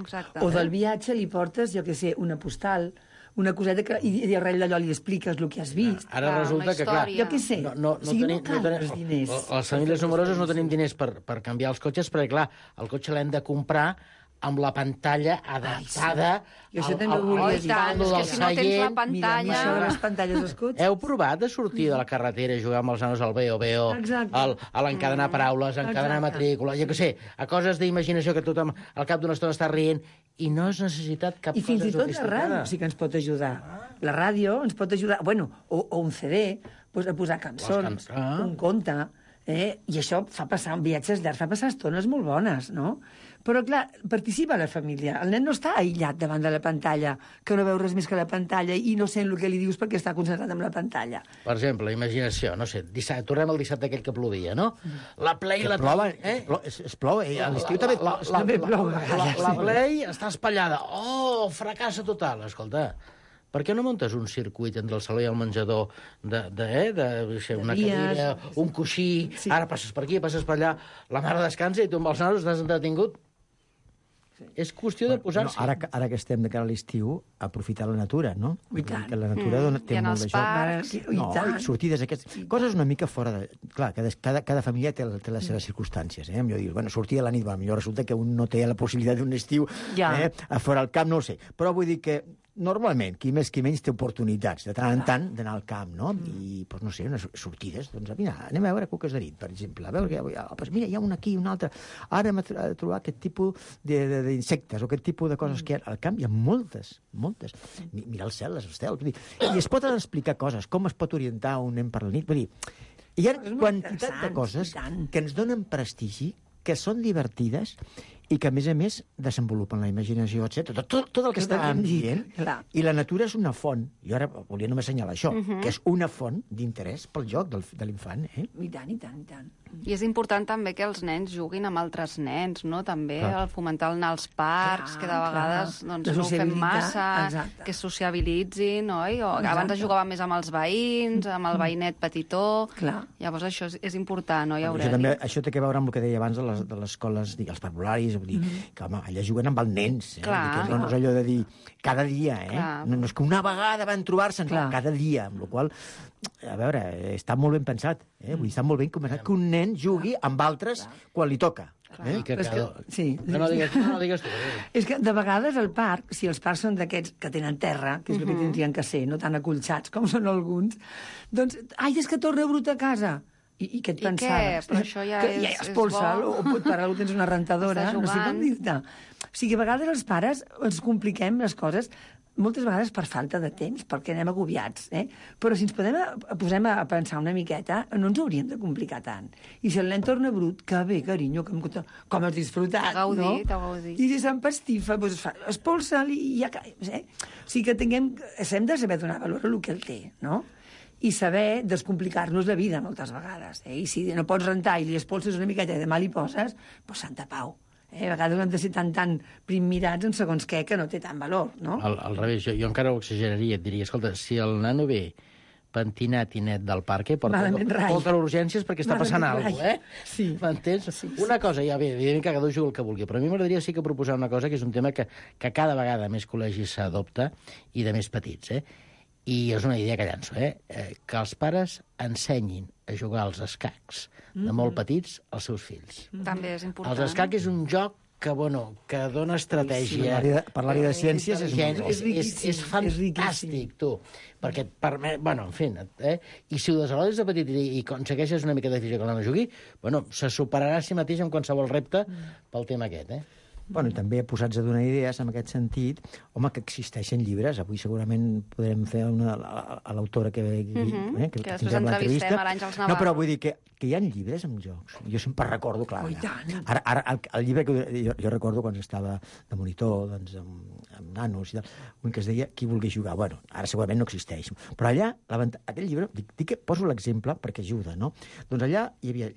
O del viatge li portes, jo què sé, una postal, una coseta que, i arrel d'allò li expliques el que has vist. Ara resulta que, clar... Jo què sé, les famílies numeroses no tenim diners per canviar els cotxes, perquè, clar, el cotxe l'hem de comprar amb la pantalla adaptada al voltant del seient. Mira, les pantalles dels cotxes. Heu provat de sortir de la carretera i jugar amb els nanos al Veo, a l'encadenar paraules, a encadenar matrícula, jo què sé, a coses d'imaginació que tothom al cap d'una estona està rient, i no és necessitat cap cosa sofisticada. I fins i tot la ràdio sí que ens pot ajudar. La ràdio ens pot ajudar, bueno, o un CD, a posar cançons, un conte, i això fa passar viatges llargs, fa passar estones molt bones, no? Però, clar, participa la família. El nen no està aïllat davant de la pantalla, que no veu res més que la pantalla i no sent el que li dius perquè està concentrat en la pantalla. Per exemple, imaginació, no sé, tornem al dissabte aquell que plovia, no? La Play... Que plova, es plou, a l'estiu també plou. La Play està espatllada. Oh, fracassa total, escolta. Per què no muntes un circuit entre el saló i el menjador una cadira, un coixí, ara passes per aquí, passes per allà, la mare descansa i tu amb els nanos estàs entretingut? És qüestió de posar-s'hi. Ara que estem de cara a l'estiu, aprofitar la natura, no? I tant. Que la natura té molt de joc. No, sortides aquestes... Coses una mica fora de... Clar, cada família té les seves circumstàncies. Millor dir, sortir a la nit, millor resulta que un no té la possibilitat d'un estiu a fora al camp, no ho sé. Però vull dir que normalment, qui més qui menys té oportunitats de tant en tant d'anar al camp, no? I, doncs no sé, unes sortides, doncs mira, anem a veure cuques de nit, per exemple, a veure, mira, hi ha un aquí, un altre, ara hem de trobar aquest tipus d'insectes o aquest tipus de coses que hi ha al camp, hi ha moltes. Mira el cel, les estels, i es poden explicar coses, com es pot orientar un nen per la nit, vull dir, Hi ha És molt quantitat de interessant, coses i tant. que ens donen prestigi, que són divertides i que, a més, desenvolupen la imaginació, etc. Tot el que Tot el que estàvem hem dit, dient. clar. I la natura és una font. Jo ara volia només assenyalar això, que és una font d'interès pel joc de l'infant. I tant, i tant, i tant. I és important també que els nens juguin amb altres nens, no? També Clar. el fomentar anar als parcs, Clar, que de vegades clar. doncs, La no ho fem sociabilitat, massa, exacte. que es sociabilitzin, oi? O Exacte. abans es jugava més amb els veïns, amb el veïnet petitó. Clar. Llavors això és important, oi, Això, Aureli? també, això té a veure amb el que deia abans de les escoles, els parvularis, vull dir, que home, allà juguen amb els nens. Clar. Que no és allò de dir cada dia, Clar. No és que una vegada van trobar-se, no, Clar. cada dia, amb la qual a veure, està molt ben pensat. Vull dir, està molt ben començat que un nen jugui amb altres quan li toca. I que Però és cada... sí. No digues tu, Aureli. És que de vegades al parc, si els parcs són d'aquests que tenen terra, que és el que tindrien que ser, no tan acolxats com són alguns, doncs, ai, és que torna brut a casa. I què et I pensaves? què? Però això ja que és- ja expulsa, és bo. o per algú tens una rentadora, Està no sé com jugant. dir-te. O sigui, a vegades els pares ens compliquem les coses moltes vegades per falta de temps, perquè anem agobiats, Però si ens posem a pensar una miqueta, no ens hauríem de complicar tant. I si el nen torna brut, que bé, carinyo, com has disfrutat, T'ha gaudit, no? t'ha gaudit. I si s'empastifa, doncs expulsa'l i ja... O sigui que hem de saber donar valor a el que el té, no? I saber descomplicar-nos la vida moltes vegades. I si no pots rentar i li expulses una miqueta i demà li poses, doncs santa pau. A vegades hem de ser tan primmirats en segons què que no té tant valor, no? Al revés, jo encara ho exageraria, et diria, escolta, si el nano ve pentinat i net del parc, Malament rai. porta urgències perquè està passant Malament alguna cosa, rai. Sí. M'entens? Una cosa, ja bé, evidentment que cada un juga el que vulgui, però a mi m'agradaria sí que proposar una cosa, que és un tema que cada vegada més col·legis s'adopta, i de més petits, I és una idea que llanço, que els pares ensenyin a jugar als escacs de molt petits als seus fills. També és important. Els escacs és un joc que dona estratègia. Parlar-hi de ciències és molt bo. És riquíssim, és fantàstic, tu. Perquè et permet... En fi, I si ho desenvolupes de petit i aconsegueixes una mica de física que l'home jugui, se superarà a si mateix en qualsevol repte pel tema aquest, I també posats a donar idees en aquest sentit, home, que existeixen llibres. Avui segurament podrem fer a l'autora que després tindrem entrevistem l'entrevista. a l'Àngels No, Navarro. però vull dir que hi ha llibres amb jocs. Jo sempre recordo, clar, Oh, i tant. ara el llibre que jo recordo quan estava de monitor, doncs, amb nanos i tal, un que es deia Qui vulgui jugar. Bueno, ara segurament no existeix. Però allà, aquell llibre, dic que poso l'exemple perquè ajuda, no? Doncs allà hi havia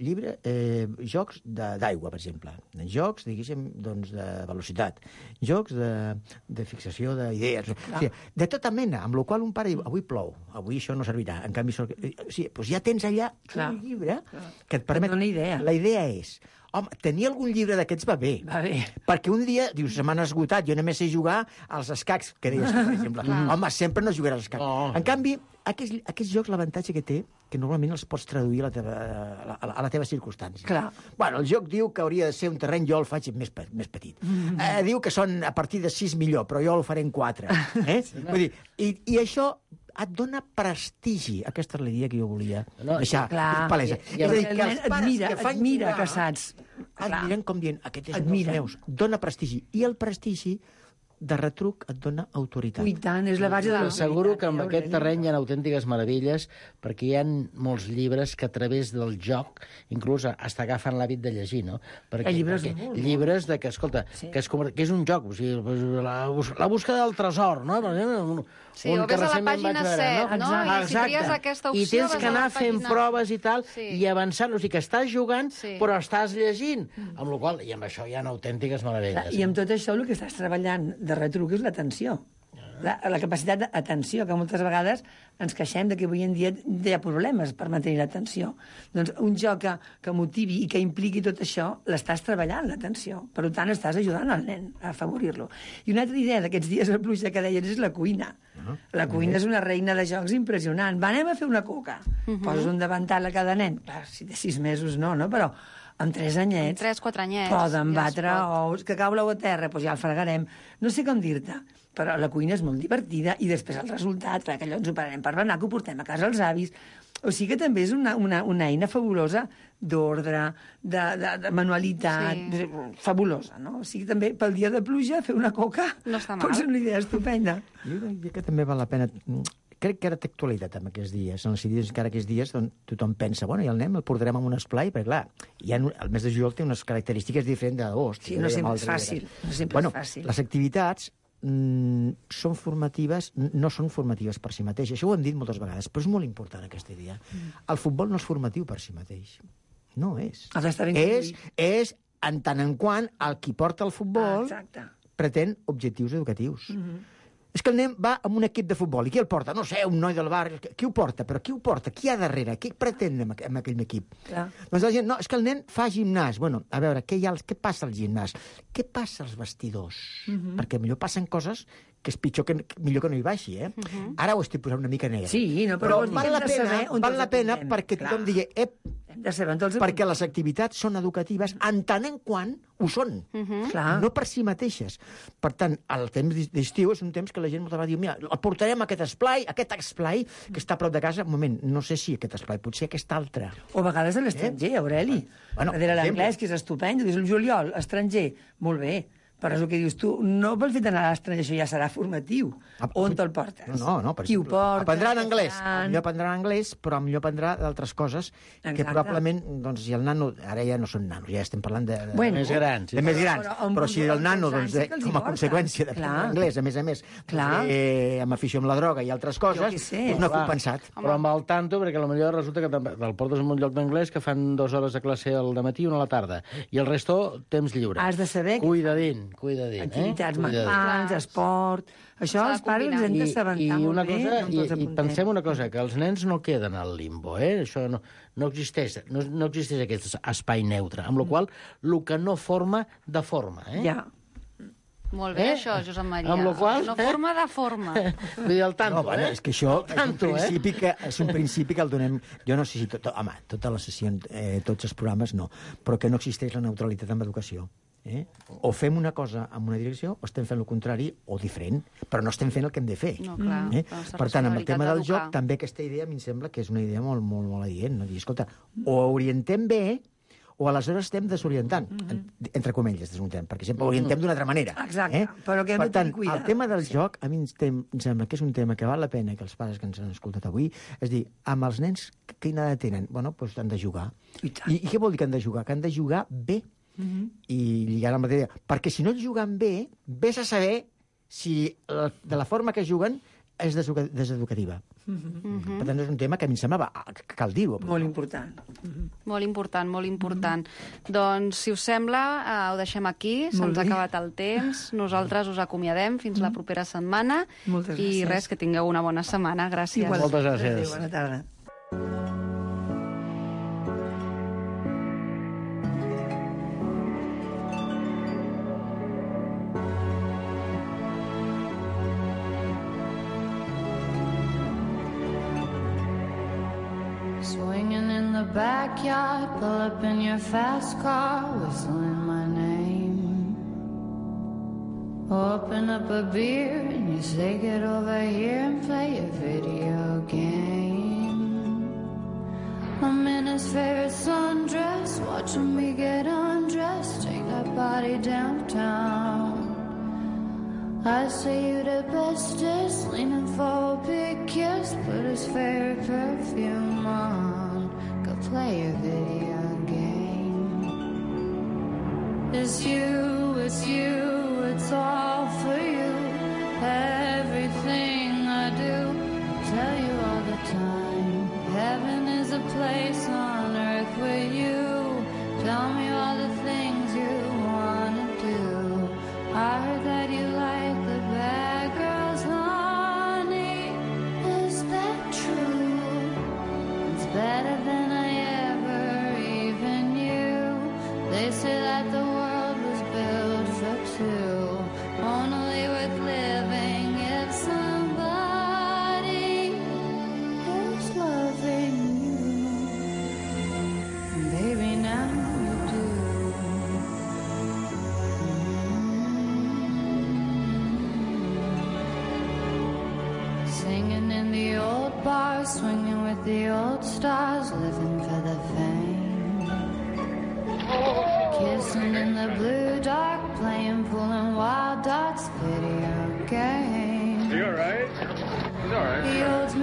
jocs d'aigua, per exemple. Jocs, diguéssim, doncs, de velocitat. Jocs de fixació d'idees. O sigui, de tota mena, amb la qual un pare diu, avui plou, avui això no servirà. En canvi, doncs ja tens allà un llibre que et permet... Et dona idea. La idea és, home, tenir algun llibre d'aquests va bé. Va bé. Perquè un dia, dius, se m'han esgotat, jo només sé jugar als escacs, que deies, per exemple. Home, sempre no jugaràs als escacs. No. En canvi, aquests jocs, l'avantatge que té, que normalment els pots traduir a la teva circumstància. Clar. Bueno, el joc diu que hauria de ser un terreny, jo el faig més petit. Diu que són a partir de 6 millor, però jo el faré en 4. Vull dir, i això et dona prestigi. Aquesta és la idea que jo volia deixar palesa. És a dir, que els pares admira que saps. Admiren com dient, aquest és un dels meus. Dona prestigi. I el prestigi de retruc et dona autoritat. I tant, és la base de l'autoritat. Asseguro que en aquest terreny hi ha autèntiques meravelles, perquè hi ha molts llibres que a través del joc inclús hasta agafen l'hàbit de llegir, no? Perquè llibres de que, escolta, que és un joc, o sigui, la búsqueda del tresor, no? Sí, o ves a la pàgina 7, no? I si tries aquesta opció... I tens que anar fent proves i tal, Sí. i avançant, o sigui que estàs jugant, Sí. però estàs llegint, amb la qual i amb això hi ha autèntiques meravelles. I amb tot això el que estàs treballant de retruc és l'atenció. La capacitat d'atenció, que moltes vegades ens queixem de que avui en dia hi ha problemes per mantenir l'atenció. Doncs un joc que motivi i que impliqui tot això, l'estàs treballant, l'atenció. Per tant, estàs ajudant el nen a afavorir-lo. I una altra idea d'aquests dies de pluja que deies és la cuina. La cuina és una reina de jocs impressionant. Va, anem a fer una coca. Poses un davantal a cada nen. Clar, si té 6 mesos no, però amb 3 anyets... 3-4 anyets. Poden ja batre ous, que cau l'ou a terra, doncs ja el fregarem. No sé com dir-te, però la cuina és molt divertida i després el resultat, clar, que allò ens ho pararem per berenar, que ho portem a casa els avis. O sigui que també és una eina fabulosa d'ordre, de manualitat, fabulosa, no? O sigui, també pel dia de pluja fer una coca No està mal. pot ser una idea estupenda. Jo crec que també val la pena crec que ara té actualitat en aquests dies. En els dies, encara aquests dies, tothom pensa, bueno, i el anem, el portarem en un esplai, perquè, clar, el mes de juliol té unes característiques diferents d'agost. Sí, no sempre és fàcil. Les activitats són formatives, no són formatives per si mateix. Això ho hem dit moltes vegades, però és molt important aquesta idea. El futbol no és formatiu per si mateix. No és. És en tant en quant el qui porta el futbol pretén objectius educatius. És que el nen va amb un equip de futbol. I qui el porta? No sé, un noi del barri. Qui ho porta? Però qui ho porta? Qui hi ha darrere? Què pretén amb aquell equip? Doncs la gent, no, és que el nen fa gimnàs. Bueno, a veure, què passa al gimnàs? Què passa als vestidors? Perquè millor passen coses que és millor que no hi baixi, eh? Ara ho estic posant una mica negre. Sí, no, però val la pena perquè tothom digui, perquè les activitats són educatives en tant en quant ho són, no per si mateixes. Per tant, el temps d'estiu és un temps que la gent moltes vegades diu, mira, el portarem a aquest esplai que està a prop de casa. Un moment, no sé si aquest esplai, potser aquest altre. O a vegades a l'estranger, Aureli. Darrere l'anglès, que és estupend, dius el juliol, estranger, molt bé. Però és el que dius tu, no pel fet d'anar a l'estranger, això ja serà formatiu. On te'l portes? No, qui ho porta? Aprendrà anglès. Millor aprendrà anglès, però millor aprendrà d'altres coses que probablement, doncs, si el nano... Ara ja no són nanos, ja estem parlant de més grans. De més grans. Però si el nano, doncs, com a conseqüència d'aprendre anglès, a més, amb afició amb la droga i altres coses, no ha compensat. Però amb el tanto, perquè potser resulta que el portes en un lloc d'anglès que fan 2 hores de classe al dematí i 1 a la tarda. I el resto, temps lliure. Has de saber... Cuidadín. Activitats mentals, esport... Això els pares ens hem d'assabentar molt bé. I pensem una cosa, que els nens no queden al limbo, Això no existeix, no existeix aquest espai neutre, amb la qual el que no forma, deforma, Ja. Molt bé, això, Josep Maria. Amb la qual... No forma de forma. Vull dir, el tanto, és que això és un principi que el donem... Jo no sé si totes les sessions, tots els programes, no, però que no existeix la neutralitat en l'educació. O fem una cosa en una direcció o estem fent el contrari o diferent, però no estem fent el que hem de fer. No, clar, per tant, amb el tema del joc, també aquesta idea a mi em sembla que és una idea molt, molt, molt adient. No? Dir, escolta, o orientem bé o aleshores estem desorientant, entre comilles, desorientant, perquè sempre orientem d'una altra manera. Exacte, però que hem de tenir cuidado. El tema del joc, a mi em sembla que és un tema que val la pena que els pares que ens han escoltat avui, és dir, amb els nens, quina edat tenen? Bueno, doncs han de jugar. I què vol dir que han de jugar? Que han de jugar bé. I lligar la matèria. Perquè si no juguen bé, vés a saber si de la forma que juguen és deseducativa. Per tant, és un tema que a mi em semblava que cal dir-ho. Molt important. Molt important, molt important. Doncs, si us sembla, ho deixem aquí. Se'ns ha acabat el temps. Nosaltres us acomiadem fins la propera setmana. Moltes gràcies. I res, que tingueu una bona setmana. Gràcies. Moltes gràcies. Bona tarda. Swinging in the backyard, pull up in your fast car, whistling my name. Open up a beer and you say get over here and play a video game. I'm in his favorite sundress, watching me get undressed, take that body downtown. I say you the bestest, leaning for a big kiss, put his favorite perfume on, go play a video game. It's you, it's all for you, everything I do, tell you all the time, heaven is a place on earth with you, tell me all the things you wanna do, I heard that you like the bad girls, honey, is that true? It's better than I ever even knew. They say that the world was built for two, only worth living if somebody is loving you. Baby, now you do. Singing in the old bars, swinging with the old stars, living for the fame. Kissing in the blue dark, playing pool and wild dots, video game. You alright? He's alright. He holds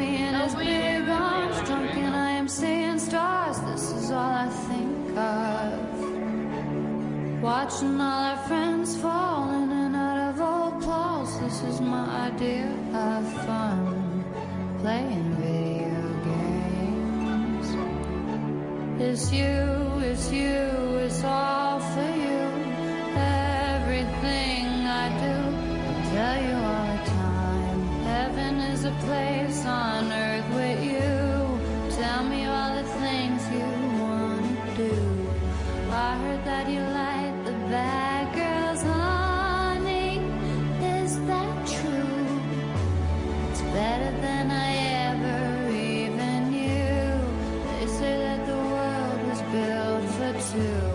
watching all our friends fall in and out of old clothes. This is my idea of fun, playing video games. It's you, it's all for you. Everything I do, I tell you all the time. Heaven is a place on earth with you. Tell me all the things you want to do. I heard that you like the bad girls, honey. Is that true? It's better than I ever even knew. They say that the world was built for two.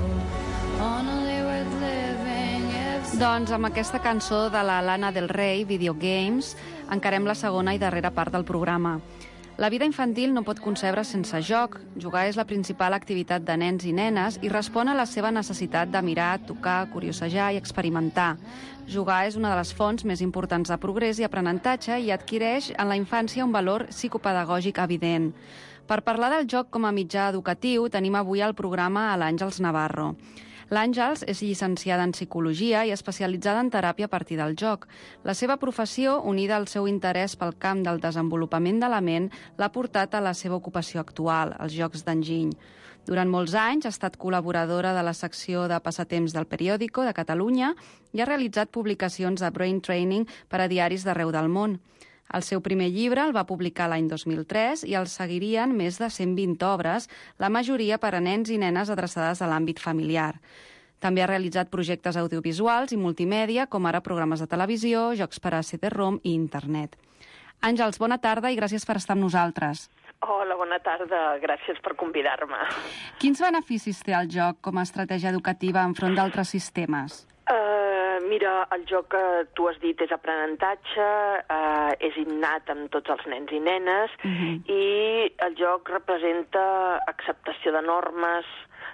Only worth living if... Doncs amb aquesta cançó de la Lana Del Rey, Video Games, encarem la segona i darrera part del programa. La vida infantil no pot concebre sense joc. Jugar és la principal activitat de nens i nenes i respon a la seva necessitat de mirar, tocar, curiosejar i experimentar. Jugar és una de les fonts més importants de progrés i aprenentatge i adquireix en la infància un valor psicopedagògic evident. Per parlar del joc com a mitjà educatiu, tenim avui al programa a l'Àngels Navarro. L'Àngels és llicenciada en Psicologia i especialitzada en teràpia a partir del joc. La seva professió, unida al seu interès pel camp del desenvolupament de la ment, l'ha portat a la seva ocupació actual, els Jocs d'Enginy. Durant molts anys ha estat col·laboradora de la secció de passatemps del Periódico de Catalunya i ha realitzat publicacions de brain training per a diaris d'arreu del món. El seu primer llibre el va publicar l'any 2003 i el seguirien més de 120 obres, la majoria per a nens i nenes adreçades a l'àmbit familiar. També ha realitzat projectes audiovisuals i multimèdia, com ara programes de televisió, jocs per a CD-ROM i internet. Àngels, bona tarda i gràcies per estar amb nosaltres. Hola, bona tarda. Gràcies per convidar-me. Quins beneficis té el joc com a estratègia educativa enfront d'altres sistemes? Mira, el joc que tu has dit és aprenentatge, és innat amb tots els nens i nenes, i el joc representa acceptació de normes,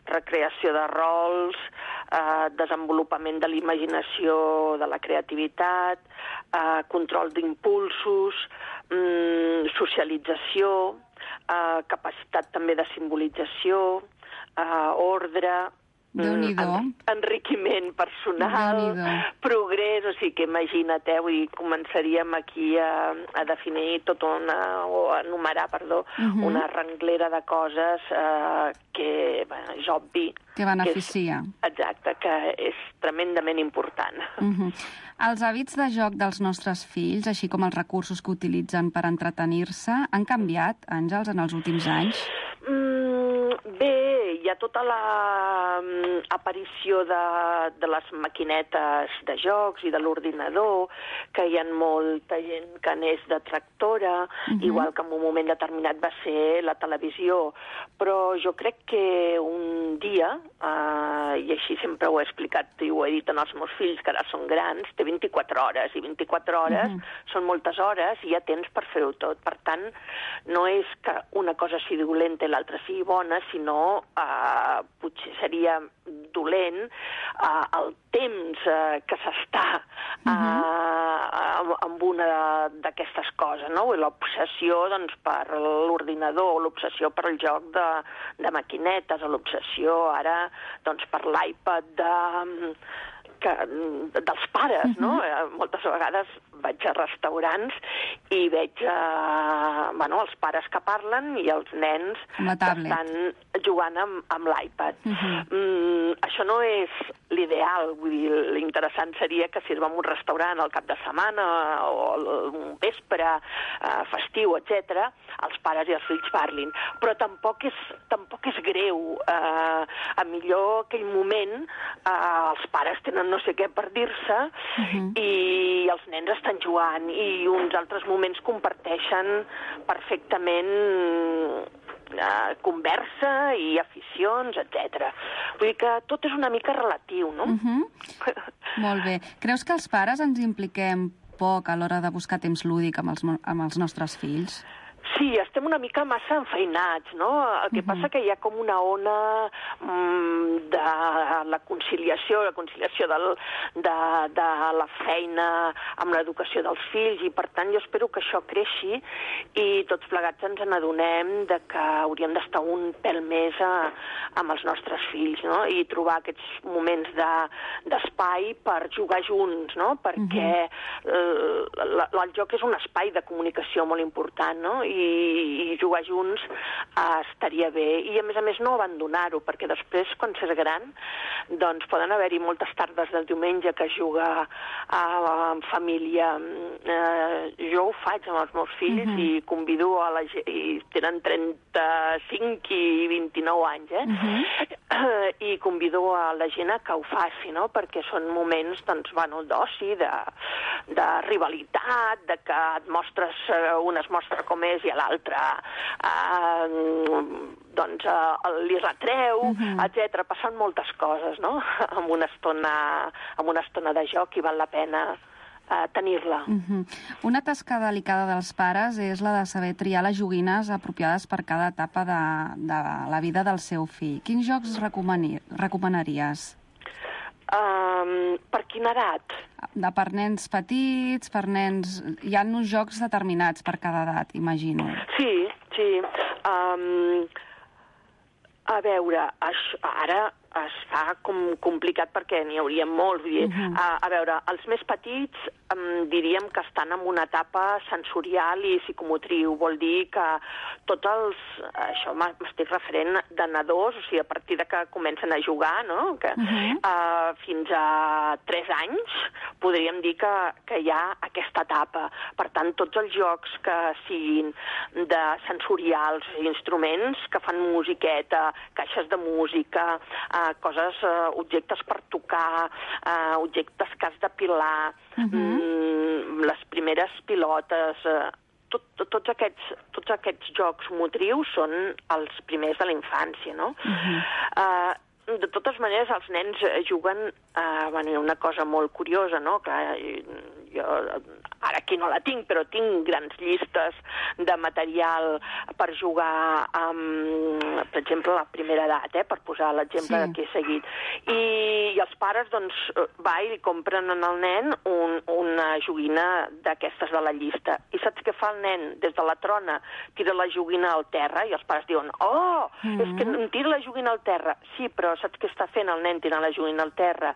recreació de rols, desenvolupament de la imaginació, de la creativitat, control d'impulsos, socialització, capacitat també de simbolització, ordre, enriquiment personal, progrés, o sigui que imagina't, vull dir, començaríem aquí a definir tot o a enumerar, una renglera de coses que és obvi. Que beneficia. Exacte, que és tremendament important. Els hàbits de joc dels nostres fills, així com els recursos que utilitzen per entretenir-se, han canviat, Àngels, en els últims anys? Bé, hi ha tota l'aparició de les maquinetes de jocs i de l'ordinador, que hi ha molta gent que n'és detractora, igual que en un moment determinat va ser la televisió. Però jo crec que un dia, i així sempre ho he explicat i ho he dit als meus fills, que ara són grans, té 24 hores, i 24 hores són moltes hores i hi ha temps per fer-ho tot. Per tant, no és que una cosa sigui dolenta i l'altra sigui bona, sinó potser seria dolent el temps que s'està amb una d'aquestes coses, no? L'obsessió per l'ordinador, l'obsessió per el joc de maquinetes, l'obsessió ara per l'iPad dels pares, no? Moltes vegades vaig a restaurants i veig els pares que parlen i els nens que estan jugant amb l'iPad. Això no és l'ideal, vull dir, l'interessant seria que si es va a un restaurant al cap de setmana o un vespre, festiu, etc., els pares i els fills parlin. Però tampoc és greu. A millor aquell moment els pares tenen no sé què per dir-se i els nens estan jugant i uns altres moments comparteixen perfectament conversa i aficions, etc. Vull dir que tot és una mica relatiu, no? Molt bé. Creus que els pares ens impliquem poc a l'hora de buscar temps lúdic amb els nostres fills? Sí, estem una mica massa enfeinats, no? El que passa que hi ha com una ona de la conciliació de la feina amb l'educació dels fills, i per tant jo espero que això creixi i tots plegats ens n'adonem de que hauríem d'estar un pèl més amb els nostres fills, no? I trobar aquests moments d'espai per jugar junts, no? Perquè el joc és un espai de comunicació molt important, no? I jugar junts estaria bé. I a més no abandonar-ho, perquè després, quan s'és gran, doncs poden haver-hi moltes tardes del diumenge que es juga en família. Jo ho faig amb els meus fills i convido a la gent, i tenen 35 i 29 anys, i convido a la gent a que ho faci, no? Perquè són moments, doncs, bueno, d'oci, de rivalitat, de que et mostres, un es mostra com és i l'altre doncs li retreu, etc. Passen moltes coses, no? Amb una estona de joc, i val la pena tenir-la. Una tasca delicada dels pares és la de saber triar les joguines apropiades per cada etapa de la vida del seu fill. Quins jocs recomanaries? Per quina edat? Per nens petits, per nens... Hi ha uns jocs determinats per cada edat, imagino. Sí. A veure, ara es fa com complicat perquè n'hi hauria molts. A veure, els més petits diríem que estan en una etapa sensorial i psicomotriu. Vol dir que tots els... Això m'estic referent de nadons, o sigui, a partir de que comencen a jugar, no? Fins a 3 anys podríem dir que hi ha aquesta etapa. Per tant, tots els jocs que siguin de sensorials, instruments que fan musiqueta, caixes de música, objectes per tocar, objectes que has d'apilar, les primeres pilotes, tots aquests jocs motrius són els primers de la infància, no? De totes maneres, els nens juguen una cosa molt curiosa, no? Que jo ara aquí no la tinc, però tinc grans llistes de material per jugar amb, per exemple, la primera edat, per posar l'exemple que he seguit. I els pares, doncs, i li compren al nen una joguina d'aquestes de la llista. I saps què fa el nen? Des de la trona tira la joguina al terra i els pares diuen, és que em tira la joguina al terra. Sí, però saps què està fent el nen tirant la joguina al terra?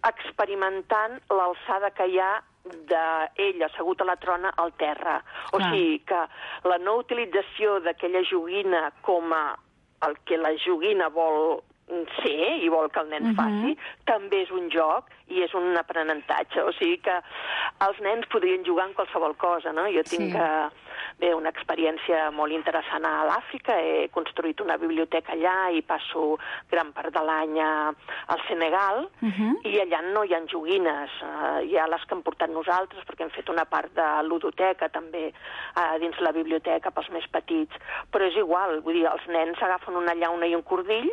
Experimentant l'alçada que hi ha d'ell assegut a la trona al terra. O sigui que la no utilització d'aquella joguina com el que la joguina vol ser i vol que el nen faci, també és un joc i és un aprenentatge. O sigui que els nens podrien jugar en qualsevol cosa, no? Jo tinc una experiència molt interessant a l'Àfrica. He construït una biblioteca allà i passo gran part de l'any al Senegal, i allà no hi ha joguines. Hi ha les que hem portat nosaltres, perquè hem fet una part de ludoteca també dins la biblioteca pels més petits. Però és igual, vull dir, els nens agafen una llauna i un cordill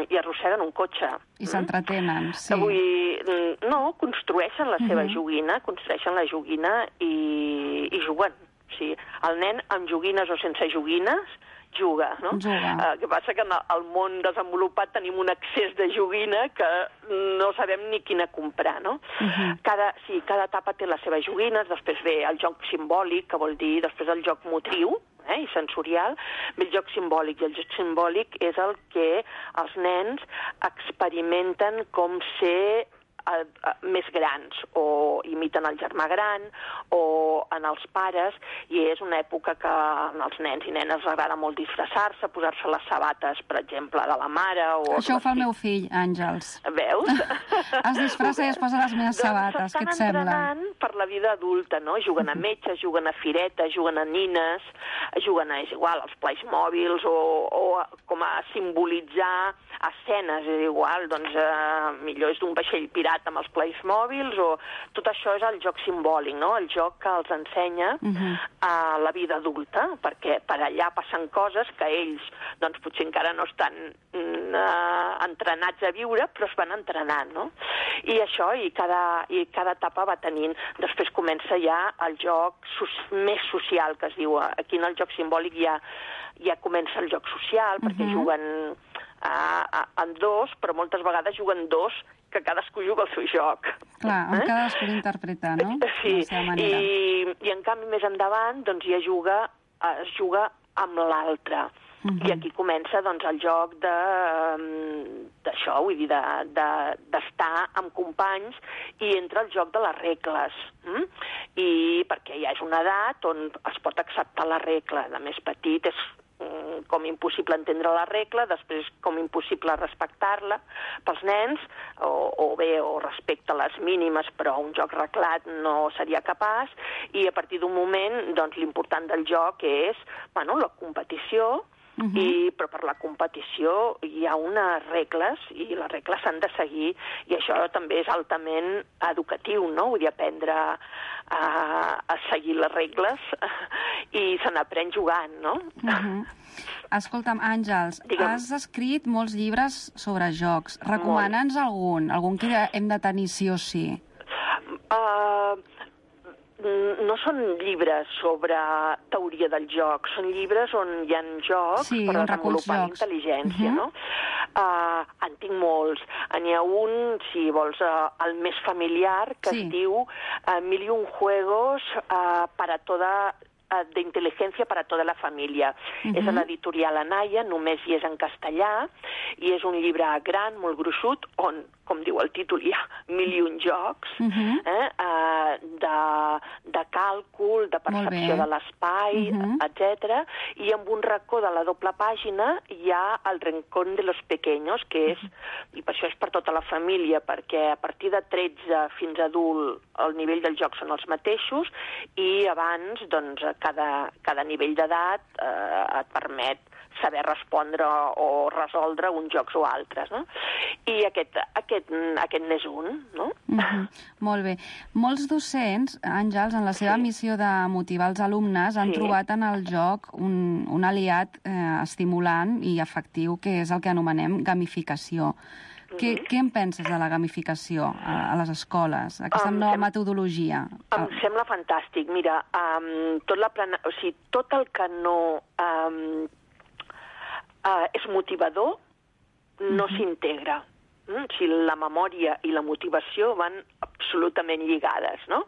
i arrosseguen un cotxe. I s'entretenen, sí. Vull dir, no, construeixen la seva joguina, i juguen. O sigui, el nen amb joguines o sense joguines juga, no? El que passa que en el món desenvolupat tenim un excés de joguina que no sabem ni quina comprar, no? Cada etapa té les seves joguines, després ve el joc simbòlic, que vol dir després el joc motriu, i sensorial, ve el joc simbòlic, i el joc simbòlic és el que els nens experimenten com ser més grans, o imiten el germà gran, o en els pares, i és una època que als nens i nenes els agrada molt disfressar-se, posar-se les sabates, per exemple, de la mare. Això ho fa el meu fill, Àngels. Veus? Es disfressa i es posa les meves sabates, què et sembla? S'estan entrenant per la vida adulta, no? Juguen a metges, juguen a firetes, juguen a nines, juguen a, és igual, als plais mòbils, o com a simbolitzar escenes, és igual, doncs millor és d'un vaixell pirata inspirat amb els plays mòbils, o tot això és el joc simbòlic, no? El joc que els ensenya a la vida adulta, perquè per allà passen coses que ells, doncs, potser encara no estan entrenats a viure, però es van entrenant, no? I això, i cada etapa va tenint. Després comença ja el joc més social, que es diu. Aquí en el joc simbòlic ja comença el joc social, perquè juguen en dos, però moltes vegades juguen dos, que cadascú juga el seu joc. Clar, cadascú l'interpreta, no? Sí, i en canvi més endavant doncs ja es juga amb l'altre. I aquí comença doncs, el joc d'això, vull dir, d'estar amb companys, i entra el joc de les regles. I perquè ja és una edat on es pot acceptar la regla. De més petit és com impossible entendre la regla, després com impossible respectar-la pels nens, o respecte a les mínimes, però un joc reglat no seria capaç, i a partir d'un moment, doncs, l'important del joc és, la competició, però per la competició hi ha unes regles, i les regles s'han de seguir, i això també és altament educatiu, no? Vull dir, aprendre a seguir les regles, i se n'aprèn jugant, no? Escolta'm, Àngels, has escrit molts llibres sobre jocs. Recomana'ns algun que hem de tenir sí o sí. No són llibres sobre teoria del joc, són llibres on hi ha jocs per desenvolupar intel·ligència, no? En tinc molts. N'hi ha un, si vols, el més familiar, que es diu 1001 juegos de inteligencia para toda la família. És a l'editorial Anaya, només hi és en castellà, i és un llibre gran, molt gruixut, on, com diu el títol, hi ha 1001 jocs de càlcul, de percepció de l'espai, etc. I amb un racó de la doble pàgina hi ha el Rincón de los Pequeños, que és, i per això és per tota la família, perquè a partir de 13 fins a adult el nivell del joc són els mateixos, i abans, doncs, cada nivell d'edat et permet saber respondre o resoldre uns jocs o altres, no? I aquest n'és un, no? Molt bé. Molts docents, Àngels, en la seva missió de motivar els alumnes, han trobat en el joc un aliat estimulant i efectiu, que és el que anomenem gamificació. Què en penses de la gamificació a les escoles, aquesta nova metodologia? Em sembla fantàstic. Mira, tot el que no és motivador no s'integra. La memòria i la motivació van absolutament lligades, no?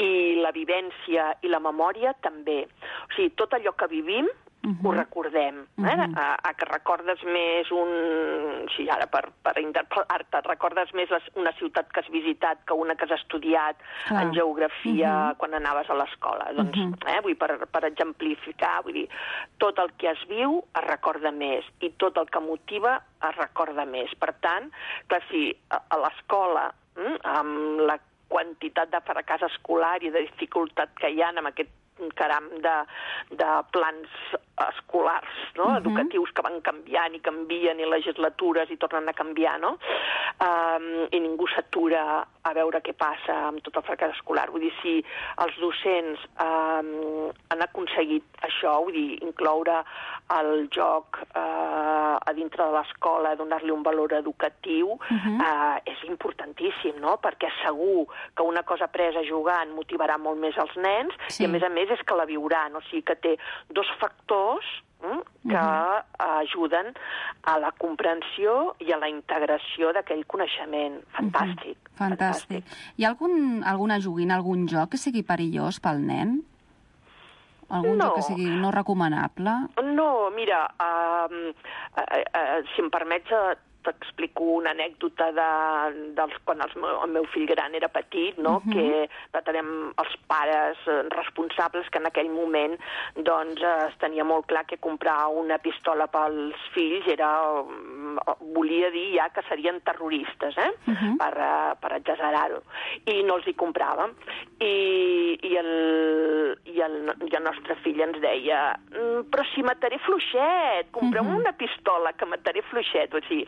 I la vivència i la memòria també. O sigui, tot allò que vivim ho recordem. Que recordes més ara per interpel·lar-te, recordes més una ciutat que has visitat que una que has estudiat en geografia quan anaves a l'escola. Doncs, per exemplificar, vull dir, tot el que es viu es recorda més, i tot el que motiva es recorda més. Per tant, clar, si a l'escola, amb la quantitat de fracàs escolar i de dificultat que hi ha amb aquest caram de plans escolars, no? Educatius que van canviant i canvien, i legislatures i tornen a canviar, no? I ningú s'atura a veure què passa amb tot el fracàs escolar. Vull dir, si els docents han aconseguit això, vull dir, incloure el joc a dintre de l'escola, donar-li un valor educatiu, és importantíssim, no? Perquè segur que una cosa apresa jugant motivarà molt més els nens, i a més és que la viuran, o sigui que té dos factors que ajuden a la comprensió i a la integració d'aquell coneixement. Fantàstic. Fantàstic. Hi ha alguna joguina, algun joc que sigui perillós pel nen? Algun joc que sigui no recomanable? No, mira, si em permets, t'explico una anècdota quan el meu fill gran era petit, no? Que teníem els pares responsables que en aquell moment doncs es tenia molt clar que comprar una pistola pels fills volia dir ja que serien terroristes, per exagerar-ho, i no els hi compràvem. I el nostre fill ens deia, però si mataré fluixet, comprem una pistola que mataré fluixet, o sigui.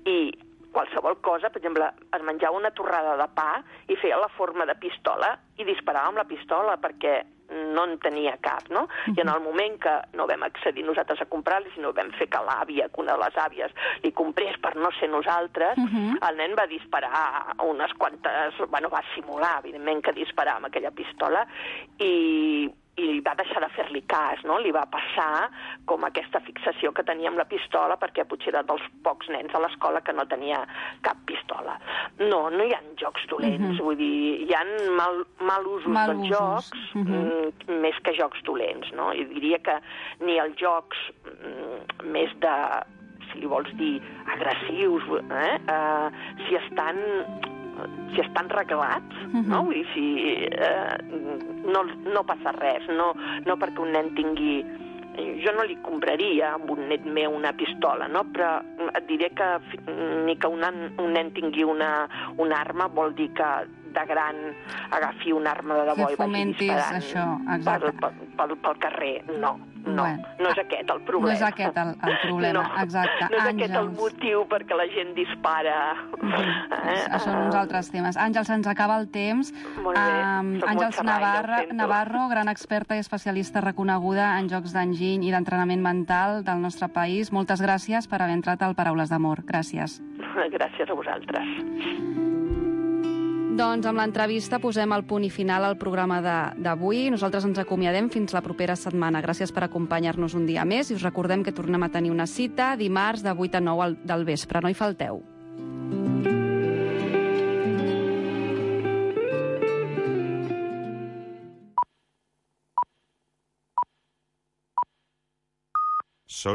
I qualsevol cosa. Per exemple, es menjava una torrada de pa i feia la forma de pistola i disparava amb la pistola perquè no en tenia cap, no? I en el moment que no vam accedir nosaltres a comprar-li, sinó vam fer que l'àvia, que una de les àvies, li comprés per no ser nosaltres, el nen va disparar unes quantes... Bueno, va simular, evidentment, que disparava amb aquella pistola i va deixar de fer-li cas, no? Li va passar com aquesta fixació que tenia amb la pistola perquè potser era dels pocs nens a l'escola que no tenia cap pistola. No hi ha jocs dolents, vull dir, hi ha mal usos dels jocs més que jocs dolents, no? I diria que ni els jocs més de, si li vols dir, agressius, si estan reglats, no? Vull dir, no passa res, no perquè un nen tingui... Jo no li compraria a un net meu una pistola, no? Però et diré que ni que un nen tingui una arma vol dir que de gran agafi una arma de debò i vagi disparant això, exacte. Pel carrer. No és aquest el problema. No és aquest el problema, exacte. No és aquest el motiu perquè la gent dispara. Són uns altres temes. Àngels, se'ns acaba el temps. Molt bé. Àngels Navarro, gran experta i especialista reconeguda en jocs d'enginy i d'entrenament mental del nostre país. Moltes gràcies per haver entrat al Paraules d'Amor. Gràcies. Gràcies a vosaltres. Doncs amb l'entrevista posem el punt i final al programa d'avui. Nosaltres ens acomiadem fins la propera setmana. Gràcies per acompanyar-nos un dia més i us recordem que tornem a tenir una cita dimarts de 8 a 9 del vespre. No hi falteu.